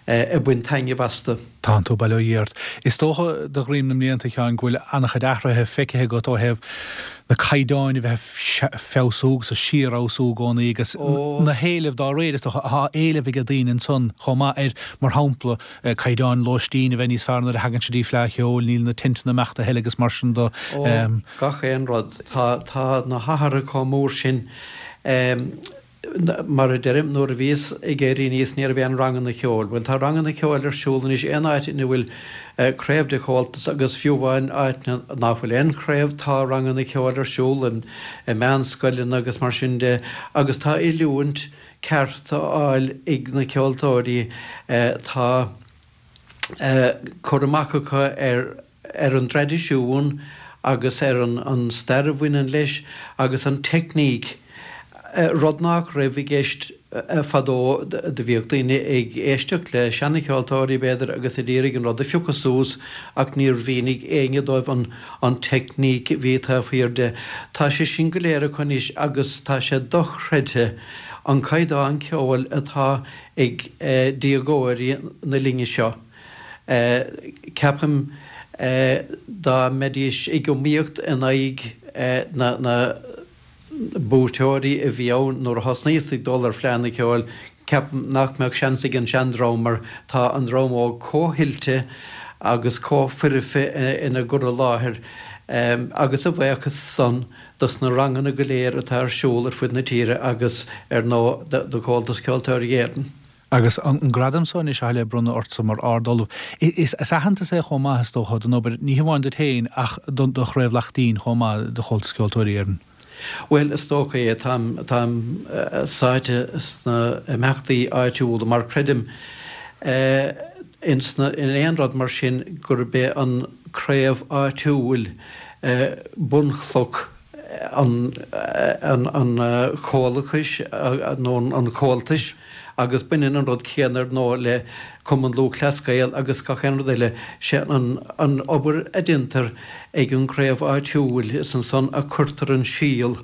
ag baint taitneamh astu. Tánn tú, bail ó Dhia ort. Is dócha, de dhroim na mblianta, a Sheáin, go bhfuil an-chuid athruithe feicthe agat ó thaobh na caighdeáin a bheith ag feabhsú agus ag síorfheabhsú i gcónaí agus na héilimh dá réir, is dócha. Tá éileamh ag daoine ansan chomh maith ar, mar shampla, caighdeáin lóistín a bheith níos fearr nuair a thagann siad dtí Fleadh Cheoil, níl na teinteanna ag imeacht a thuilleadh agus mar sin de. Ó, gach aon rud. Tá, tá na hathruithe chomh mór sin. Mar a deirim, nuair a bhíos ag éirí aníos ní raibh aon ranganna ceoil. Bhuel, tá ranganna ceoil ar siúl anois aon áit ina bhfuil craobh de Chomhaltas agus fiú amháin áiteanna nach bhfuil aon chraobh tá ranganna ceoil ar siúl i meánscoileanna agus mar sin de agus tá oiliúint ceart á fháil ag na ceoltóirí. Tá cur amach acu ar ar an dtraidisiún agus ar an stair a bhaineann leis agus an teicníc, rud nach raibh i gceist fadó. Do bhíodh daoine ag éisteacht le seana-cheoltóirí, b'fhéidir, agus ag iarraidh an rud a phiocadh suas ach níor mhínigh éinne dóibh an teicníc a bhí taobh thiar de. Tá sé sin go léir acu anois agus tá sé dochreidte an caighdeán ceoil atá ag déagóirí na linne seo. Ceapaim dá mbeidís ag iomaíocht in aghaidh na buaiteoirí a bhí ann nuair a thosnaíos ag dul ar Fleadhanna Ceoil, ceapaim nach mbeadh seans ag an seandream mar tá an dream óg chomh hoilte agus chomh foirfe ina gcur i láthair agus a bhuíochas san dos na ranganna go léir atá ar siúl ar fud na tíre agus ar ndóigh do Chomhaltas Ceoltóirí Éireann. Agus an gradam so anois atá le bronnadh ortsa mar Ard-Ollamh, is aitheantas é chomh maith, is dócha, don obair, ní hamháin duit féin ach do Chraobh Laichtín chomh maith, de Chomhaltas Ceoltóirí Éireann. Bhuel, is dócha é. Táim, táim sáite sna imeachtaí áitiúla mar creidim in sna, in aon rud mar sin gurb é an craobh áitiúil bunchloch an chomhlachais nó an chomhaltais agus baineann an rud céanna ar ndóigh le Cumann Lúthchleas Gael agus gach aon rud eile. Sé an obair a déantar ag an gcraobh áitiúil, is ansan a cuirtear an síol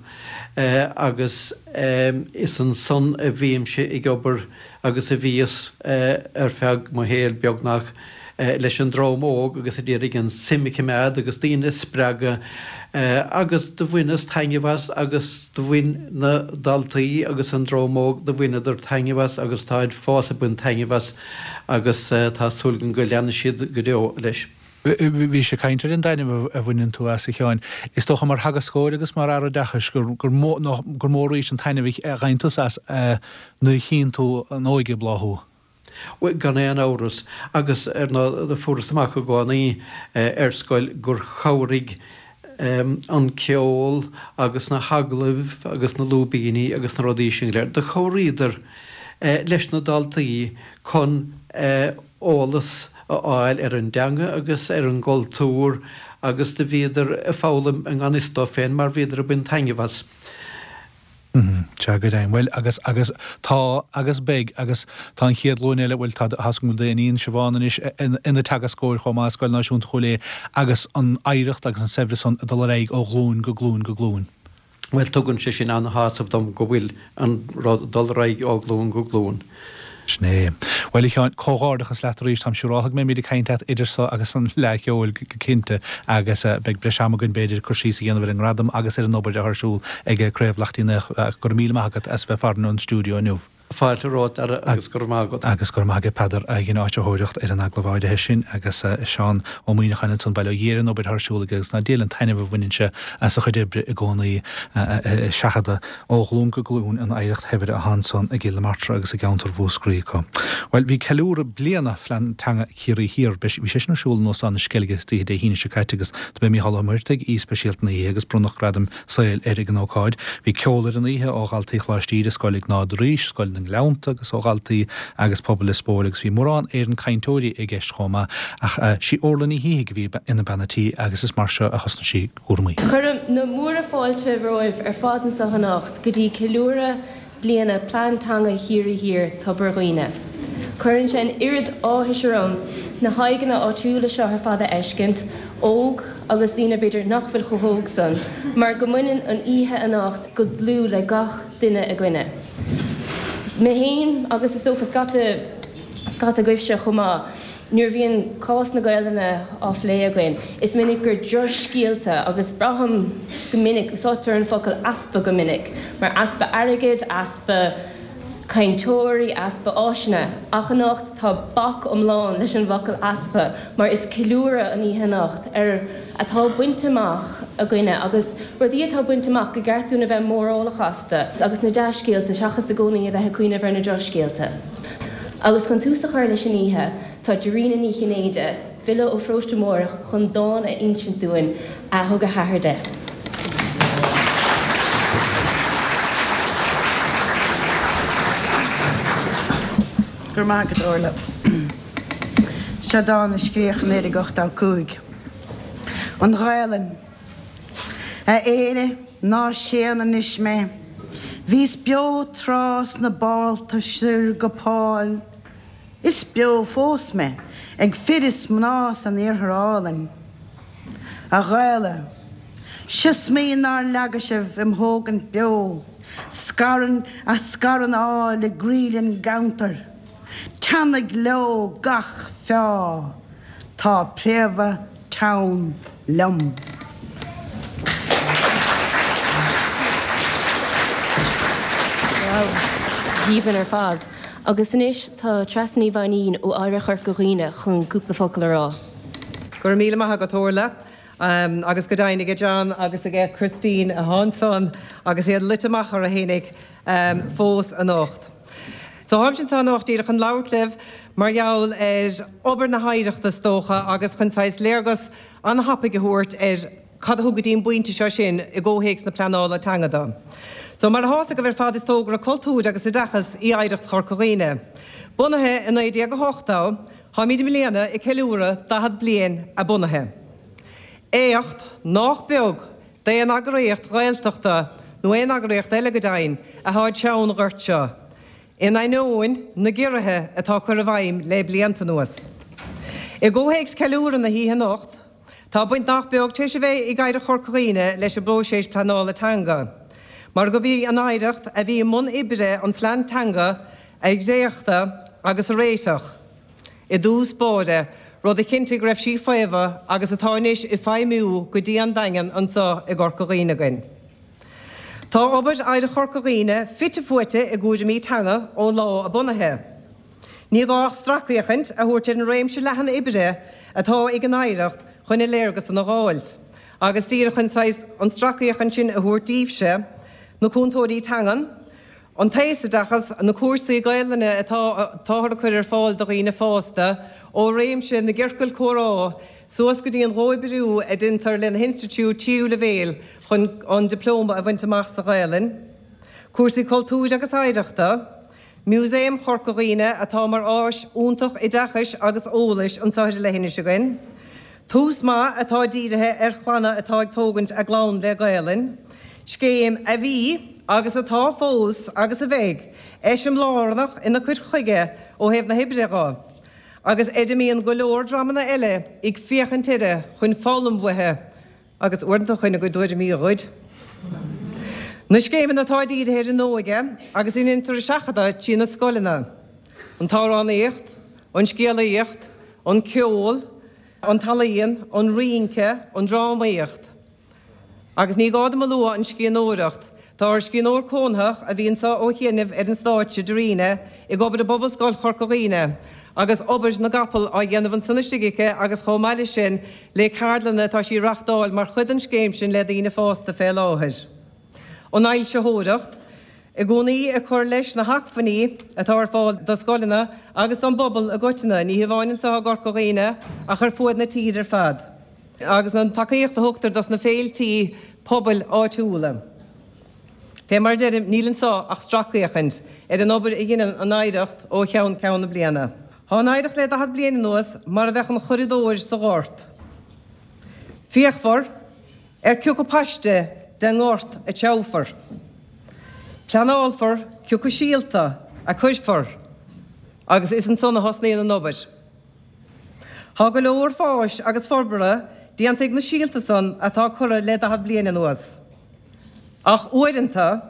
agus is ansan a bhímse ag obair agus a bhíos ar feadh mo shaoil beagnach, leis an dream óg agus ag iarraidh an suim a choimeád agus daoine a spreagadh agus do bhaineas taitneamh as agus do bhain na daltaí agus an dream óg, do bhaineadar taitneamh as agus táid fós ag baint taitneamh as agus tá súil agam go leanfaidh siad go deo leis. Bhís ag caint ar an dtaitneamh a bhaineann tú as, a Sheáin. Is dócha mar theagascóir agus mar Aire Oideachais gur mó gur mór arís an taitneamh a gheibheann tusa as nuair a chíonn tú an óige ag bláthú. Bhuel, gan aon amhras. Agus, ar ndóigh, do fuarthas amach i gcónaí ar scoil gur chabhraigh an ceol agus na hagallaimh agus na lúibíní agus na rudaí sin go léir, do chabhraíodar leis na daltaí chun eolas a fháil ar an dteanga agus ar an gcultúr agus do bhíodar ag foghlaim i ngan fhios dóibh féin mar bhíodar ag baint taitneamh as. Sea, go deimhin. Bhuel, agus, agus tá agus beidh agus tá an chéad ghlúin eile, bhuel, tá, tá's agam go bhfuil d'iníon Siobhán anois ina teagascóir chomh maith i Scoil Náisiúnta Chúil Aodha agus an oidhreacht agus an saibhreas san ag dul ar aghaidh ó ghlúin go glúin go glúin. Bhuel, tugann sé sin an-shásamh dom go bhfuil an rud ag dul ar aghaidh ó ghlúin go glúin. Sin é. Bhuel, a Sheáin, comhghairdeachas leat arís. Táim siúráltha go mbeimid ag caint leat idir so agus an Fhleadh Cheoil go cinnte agus beidh breis ama againn, b'fhéidir, cur síos a dhéanamh ar an ngradam agus ar an obair atá ar siúl ag Craobh Laichtín Ach go raibh míle maith agat as bheith farainn ón stiúideo inniu. Fáilte romhat, a Dhara, agus go raibh maith agat. Agus go raibh maith agat, Peadar, a dhein áitritheoireacht ar an agallamh áirithe sin agus Seán Ó Muíneacháin ansan, bail ó Dhia ar an obair atá ar siúl aige agus ná diail an taitneamh a bhaineann sé as a chuid oibre i gcónaí ag seachadadh ó ghlúin go glúin an oidhreacht shaibhir atá ansan i gCill na Martra agus i gceantar Mhúscraí acu. Bhuel, bhí ceiliúradh bliana Phlean Teanga Chiarraí Thiar, bhí sé sin ar siúl in Óstán na Sceilge istoíche Dé hAoine seo caite agus do b'é Mícheál Ó Muircheartaigh aoi speisialta na hoíche agus bronnadh gradaim saoil air ag an ócáid. Bhí ceol ar an oíche ó dhaltaí Choláiste Íde, Scoil Iognáid Rís, Scoil na nGleannta agus ó dhaltaí agus pobal Lios Póil agus bhí mórán Éireann cainteoirí i gceist chomh maith ach sí Orla Ní Shíthigh a bhí ina bean a' tí agus is mar seo a thosnaigh sí a cúraimí. Cuirim na múra fáilte romhaibh ar fad anseo anocht go dtí ceiliúradh. bliana Plean Teanga Chiarraí Thiar, Tobar Dhuibhne. Cuireann sé an oiread áthais orm na haghaidheanna áitiúla seo ar fad a fheiscint, óg agus daoine b'fhéidir nach bhfuil chomh hóg san, mar go mbaineann an oíche anocht go dlúth le gach duine againne. Mé féin agus is dócha scata scata agaibhse chomh maith, nuair a bhíonn cás na Gaelainne á phlé againn, is minic gur drochscéalta agus braithim go minic, úsáidtear an focal easpa go minic, mar easpa airgid, easpa cainteoirí, easpa áiseanna. Ach anocht tá bac iomlán leis an bhfocal easpa mar is ceiliúradh an oíche anocht ar atá bainte amach againne agus rudaí atá bainte amach go gceart dúinn a bheith mórálach astu agus na dea-scéalta seachas i gcónaí a bheith ag cuimhneamh ar na drochscéalta. Agus chun tús a chur leis an oíche tá Dairena Ní Chinnéide, file ó Pharóiste Mórdha chun dán a insint dúinn a thug a hathair di. Go raibh maith agat, Orla. Seo dán a scríodh i 1985. An Ghaelainn. A Éire, ná séan anois mé. Bhíos beo tráth sna bálta soir go Páil. Is beo fós mé, ag fir is mná san iarthar álainn. A Ghaela, siosmaí nár leagadh sibh im thógaint beo, scarann, a scarann ál i gcroí len gceantar. Teannaigh leo gach feá, tá préamha teann liom. Wow, aoibhinn ar fad. Agus anois tá Treasa Ní Mhainín ó Oidhreacht Chorca Dhuibhne chun cúpla focal a rá. Go raibh míle maith agat, Orla. Agus go deimhin aige John agus aige Christine atá ansan agus iad luite amach orthu fhéinig fós anocht. So táimse anseo anocht díreach chun labhairt libh mar gheall ar obair na hoidhreachta is dócha agus chun saghas léargas an-thapaidh a thabhairt ar cad a thug go dtí an bpointe seo sinn i gcomhthéacs na pleanála teanga do. So mar atá fhios agaibh ar fad is togra cultúir agus oideachais í Oidhreacht Chorca Dhuibhne. Bunaithe i 1908, táimid i mbliana ag ceiliúradh 40 bliain a bunaithe. Éacht nách beag d'aon eagraíocht Ghaeltachta, nó aon eagraíocht eile go deimhin, atá ag teann an ghoirt seo, in ainneoin na gciorruithe atá curtha i bhfeidhm le blianta anuas. I gcomhthéacs ceiliúradh na hoíche anocht, tá baint nach beag tar éis a bheith ag Oidhreacht Chorca Dhuibhne leis an bpróiseas pleanála teanga, mar gurb í an Oidhreacht a bhí i mbun oibre an phlean teanga a dhréachtadh agus a réiteach. i dtús báire, rud a chinntigh go raibh sí faofa agus atá anois ag feidhmiú go dian daingean anseo i gCorca Dhuibhne againn. Tá obair Oidhreacht Chorca Dhuibhne fite fuaite i gcúraimí teanga ó lá a bunaithe. Ní gá ach stracfhéachaint a thabhairt ar an réimse leathan oibre atá ag an Oidhreacht chun an léargas san a dh'fháilt, agus díreach chun saghas an stracfhéachaint sin a thabhairt daoibhse, na cúntóirí teangan, An t-aosoideachas, na cúrsaí Gaelainne atá táthar a cur ar fáil do dhaoine fásta, ó réimse na gciorcal comhrá suas go dtí an gcomhoibriú a deintear le na hinstitiúid tríú leibhéil chun an dioplóma a bhaint amach sa Ghaelainn, cúrsaí cultúir agus oidhreachta, Músaem Chorca Dhuibhne atá mar áis iontach oideachais agus eolais anseo ar an leithinis againn, Tús Maith atá dírithe ar chlanna atá ag tógaint a gclann le Gaelainn, scéim a bhí, agus atá fós agus a bheidh, eiseamláireach ina cur chuige ó thaobh na hoibre dho, agus ar a mbíonn go leor dreamanna eile ag féachaint uirthi chun foghlaim uaithi agus uaireanta chun a gcuid tuairimí a ghoid. Na scéimeanna atá dírithe ar an óige agus a ndeintear a seachadadh trí na scoileanna, an t-amhránaíocht, an scéalaíocht, an ceol, an t-ealaíon, an rince, an drámaíocht. Agus ní gá dom a lua an scríbhneoireacht. Tá ár scríbhneoir cónaitheach, a bhí anseo ó chianaibh ar an stáitse, Darina, ag obair i bPobalscoil Chorca Dhuibhne, agus obair na gcapall á dhéanamh ansan istigh aici agus chomh maith leis sin le ceardlanna atá sí a reachtáil mar chuid den scéim sin le daoine fásta fé láthair. An fhoilsitheoireacht, i gcónaí ag cur leis na hacmhainní atá ar fáil do scoileanna agus don bpobal i gcoitinne, ní hamháin anseo i gCorca Dhuibhne ach ar fuaid na tíre ar fad. agus an tacaíocht a thugtar dos na féiltí pobail áitiúla. Fé mar a deirim, níl anso ach stracfhéachaint ar an obair a dheineann an Oidhreacht ó cheann ceann na bliana. Thá an Oidhreacht le 40 bliain anuas mar a bheadh an churadóir sa ghort. Fíochmhar ar cioca paiste den ngort a treabhfar. Pleanálfar cioca síolta a cuirfear agus is ansan a thosnaíonn an obair. Tá go leor fáis agus forbartha déanta ag na síolta san atá curtha le 40 bliain anuas. Ach uaireanta,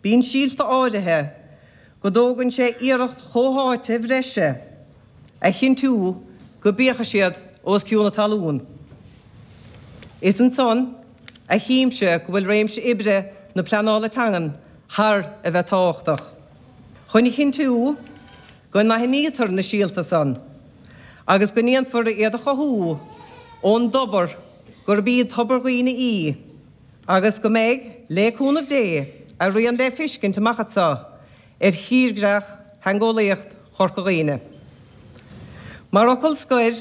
bíonn síolta áirithe go dtógann sé iarracht chomhtháite bhreise a chinntiú go bpiocfaidh siad os cionn na talún. Is ansan a chímse go bhfuil réimse oibre na pleanála teangan thar a bheith tábhachtach. Chun a chinntiú go n-aithnítear na síolta san agus go ndéanfar iad a chothú ón dtobar gurb í Tobar Dhuibhne í agus go mbeidh, lé cúnamh Dé, a rian le fiscint amach anso ar thírdhreach theangeolaíocht Chorca Dhuibhne. Mar fhocal scoir,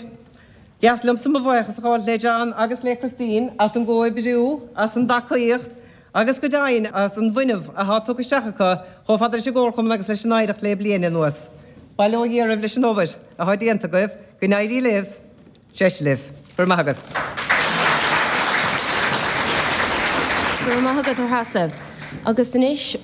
dheas liomsa mo bhuíochas a ghabháilt le John agus le Christine as an gcomhoibriú, as an dtacaíocht agus go deimhin as an bhfuinneamh athá tugtha isteach acu chomh fada leis an gComharchumann agus leis an Oidhreacht le bliain anuas. Bail ó Dhia oraibh leis an obair athá déanta agaibh. Go n-éirí libh. Deis libh. Go raibh maith agat. Go raibh maith agat, a Threasa. Agus anois,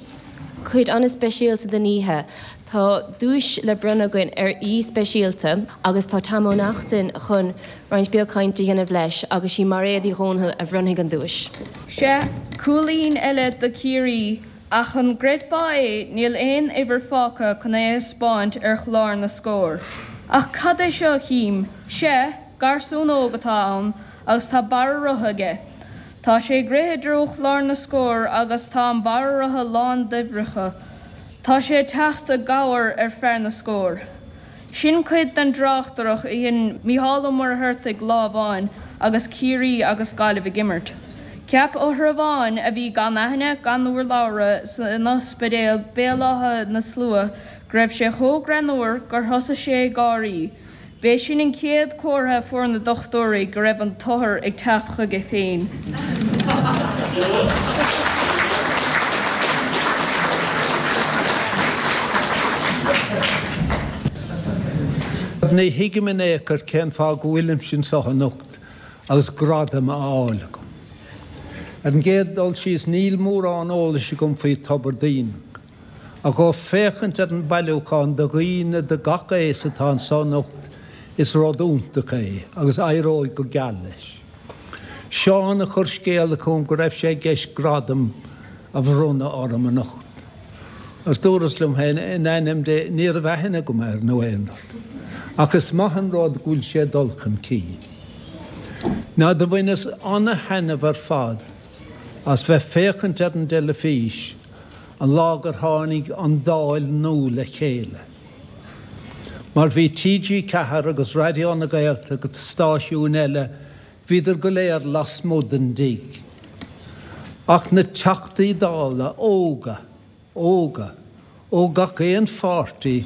cuid an-speisialta den oíche. Tá duais le bronnadh againn ar aoi speisialta agus tá Tom Ó Neachtain chun roinnt beag cainte a dhéanamh leis agus sí Mairéad Uí Dhomhnaill a bhronnfaidh an duais. Sea, cúilín eile do Chiarraí, ach an gcreidfeá é, níl aon uimhir fágtha chun é a thaispeáint ar chlár na scór. Ach cad é seo a chím? Sea, garsún óg atá ann agus tá barra rotha aige. Tá sé ag rith i dtreo chlár na scór agus tá an barra rotha lán d'uimhreacha. Tá sé ag teacht i gcabhair ar fear na scór. Sin cuid den dtráchtaireacht a dhein Mícheál Ó Muircheartaigh lá amháin agus Ciarraí agus Gaillimh ag imirt. Cheap othar amháin a bhí gan aithne gan urlabhra san ospidéal Béal Átha na Slua go raibh sé chomh greannmhar gur thosaigh sé ag gáirí. B'é sin an chéad chomhartha a fuair na dochtúirí go raibh an t-othar ag teacht chuige féin. Ní thuigim in aon chor cén fáth go bhfuilimse anseo anocht agus gradam á fháil agam. Ar an gcéad dul síos, níl mórán eolais agam faoi Tobar Duibhneach. Ach ó féachaint ar an bailiúchán de dhaoine de gach aos atá anso anocht is rud iontach é agus éireoidh go geal leis. Seán a chuir scéala chugam go raibh sé i gceist gradam a bhronnadh orm anocht. Agus dúras liom féin, in ainm Dé, ní raibh aithne agam air nó aon rud. Ach is maith an rud go bhfuil sé ag dul chun cinn. Now do bhaineas ana-thaitneamh ar fad as bheith féachaint ar an dteilifís an lá gur tháinig an Dáil nua le chéile. Mar bhí TG4 agus Raidió na Gaeltachta agus stáisiúin eile, bhíodar go léir lasmuigh den dtigh. Ach na Teachtaí Dála óga, óga, ó gach aon pháirtí,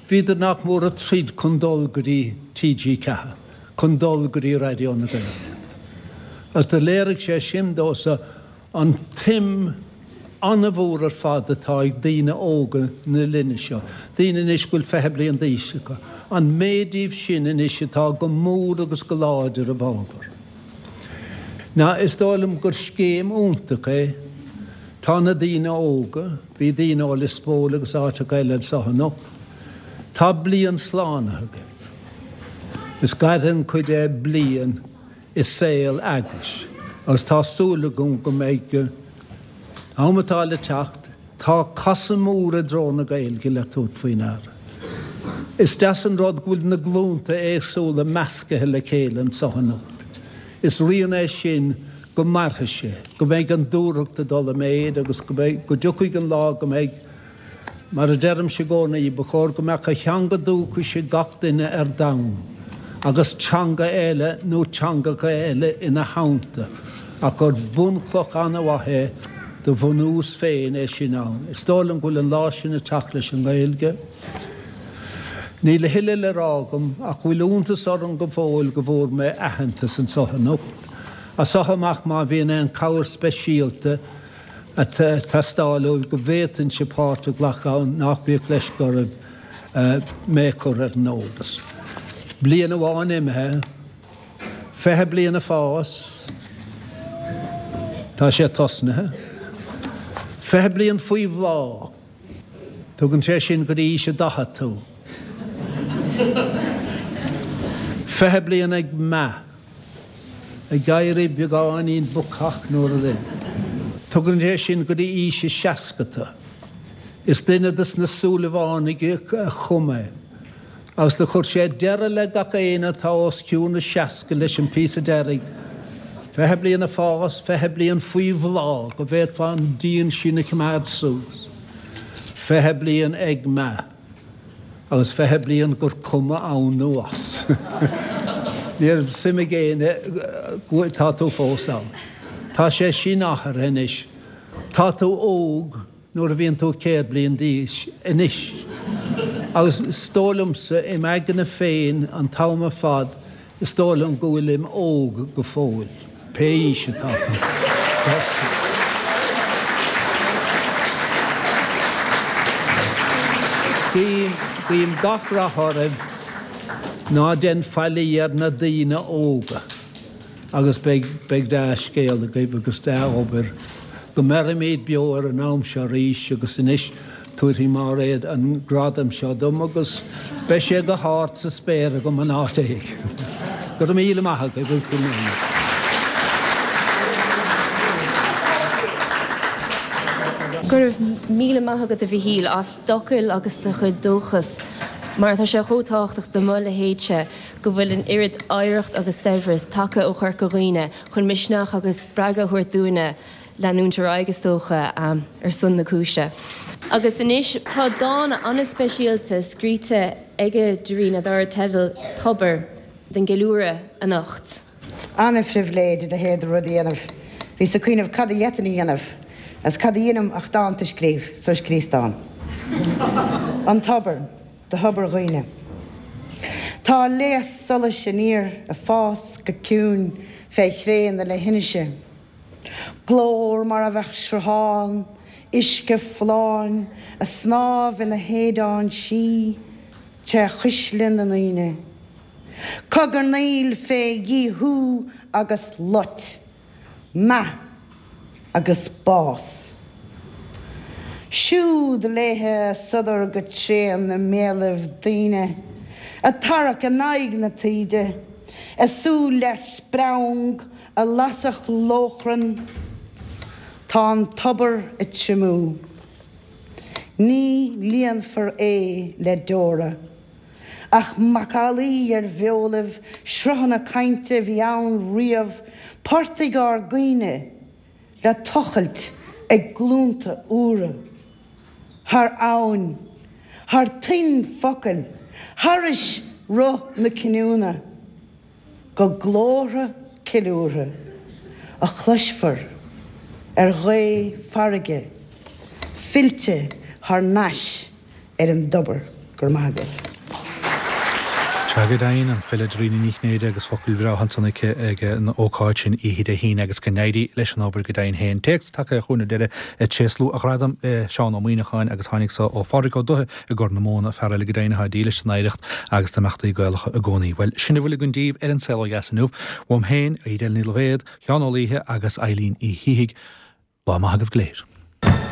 bhíodar nach mór ag troid chun dul go dtí TG4, chun dul go dtí Raidió na Gaeltachta. Agus do léirigh sé sin domhsa An tsuim an-mhór ar fad atá ag daoine óga na linne seo, daoine anois go bhfuil 20 bliain d'aois acu, an méid díobh sin anois atá go mór agus go láidir i bhfabhar. Now, is dóigh liom gur scéim iontach é. Tá na daoine óga, bhí daoine ó Lios Póil agus áiteacha eile anseo anocht, tá bliain slánaithe agaibh. Is gaire an chuid é bliain. i saol eagrais agus tá súil agam go mbeidh am atá le teacht, tá casadh mór i dtreo na Gaeilge le tabhairt faoi ndeara. Is deas an rud go bhfuil na glúnta éagsúla meascaithe le chéile anseo anocht. Is rian é sin go mairfidh sé, go mbeidh an dúthracht ag dul i méid agus go mbeidh, go dtiocfaidh an lá go mbeidh Mar a deirimse i gcónaí, ba chóir go mbeadh a theanga dúchais ag gach duine ar domhan, agus teanga eile nó teangacha eile ina theannta, ach gur bunchloch an-mhaith é do bhunús féin é sin ann. Is dóigh liom go bhfuil an lá sin ag teacht leis an nGaeilge. Níl a thuilleadh le rá agam ach go bhfuil iontas orm go fóill go bhfuair mé aitheantas anseo anocht. As seo amach má bhíonn aon chabhair speisialta, ag teastáil uaibh go bhféadfainnse páirt a ghlacadh ann, nach bíodh leisce oraibh mé a chur ar an eolas. Bliain amháin imithe, 20 bliain ag fás, tá sé tosnaithe. 20 bliain faoi bhláth, tugann sé sin go dtí aois a 40 tú. 20 bliain ag meath, ag éirí beagáinín bacach nó rud éigin. Tugann sé sin go dtí aois a 60 tú. Is duine dos na Súilleabhánaigh a chum é. Agus do chuir sé deireadh le gach éinne atá os cionn a 60 leis an píosa deiridh, 20 bliain ag fás, 20 bliain faoi bhláth, go bhféadfá an díon sin a choimeád suas, 20 bliain ag meath, agus 20 bliain gur cuma ann nó as. Ní raibh suim ag éinne go tá tú fós ann. Tá sé sin athraithe anois. Tá tú óg. nuair a bhíonn tú 100 bliain d'aois anois. Agus is dóigh liomsa, im aigne féin an t-am ar fad, is dóigh liom go bhfuilim óg go fóill, pé aois atá tú. Guím, guím gach rath oraibh, ná dein faillí ar na daoine óga. Agus beidh, beidh dea-scéal agaibh agus dea-obair. Go mbeirimid beo ar an am seo arís agus anois tabharfaidh Máiréad an gradam seo dom agus beidh sé go hard sa spéir agam in áit éigin. Go raibh míle maith agaibh agus go raibh. Go raibh míle maith agat a Mhichíl as d'fhocail agus do chuid dóchas mar tá sé chomh tábhachtach do mo leithéidse. go bhfuil an oiread oidhreacht agus saibhreas tagtha ó Chorca Dhuibhne chun misneach agus spreagadh a thabhairt dúinne leanúint ar aghaidh, is dócha, ar son na cúise. Agus anois tá dán an-speisialta scríte aige Darina dar teideal 'Tobar' don gceiliúradh anocht. An-phribhléid a leithéid de rud a dhéanamh. Bhíos ag cuimhneamh cad a d'fhéadfainn a dhéanamh, agus cad a dheinim ach dánta a scríobh, so scríos dán. An Tobar. Do Thobar Dhuibhne. Tá léas solais aniar ag fás go ciúin fé chré na leithinise. Glór mar a bheadh sruthán uisce folláin ag snámh ina shéideán sí tré chuisle na ndaoine. Cogarnaíl fé dhíothú agus loit. Meath agus bás. Siúd léithe a sodar go tréan i mbéalaibh daoine, ag tarrac in aghaidh na taoide, a súil leath-spreang a lasfadh lóchrann. Tá an tobar ag triomú. Ní líonfar é le deora. Ach macallaí ar bheolaibh, sruthanna cainte a bhí ann riamh, portaigh ár gcuimhne le tochailt ag glúnta úra. Thar abhainn, thar toinn focail, thairis roth na cinniúna, go glórtha ceiliúrtha a chloisfear ar ghaoth farraige fillte thar n-ais ar an dtobar. Go raibh maith agaibh. Sea, go deimhin, an file Dairena Ní Chinnéide agus focail bhreátha ansan aici ag an ócáid sin oíche Dé hAoine agus go n-éirí leis an obair go deimhin féin. Téacs tagtha chugainn ar deireadh ag tréaslú a ghradaim le Seán Ó Muíneacháin agus tháinig so ó Phádraig Ó Dubhthaigh i gCorr na Móna, fear eile go deimhin atá dílis don oidhreacht agus d'imeachtaí Gaelacha i gcónaí. Bhuel, sin a bhfuil againn daoibh ar An Saol Ó Dheas inniu. Uaim féin, Edel Ní Loibhéad, Sheán Ó Laoithe agus Eilín Uí Shíthigh, lá maith agaibh go léir.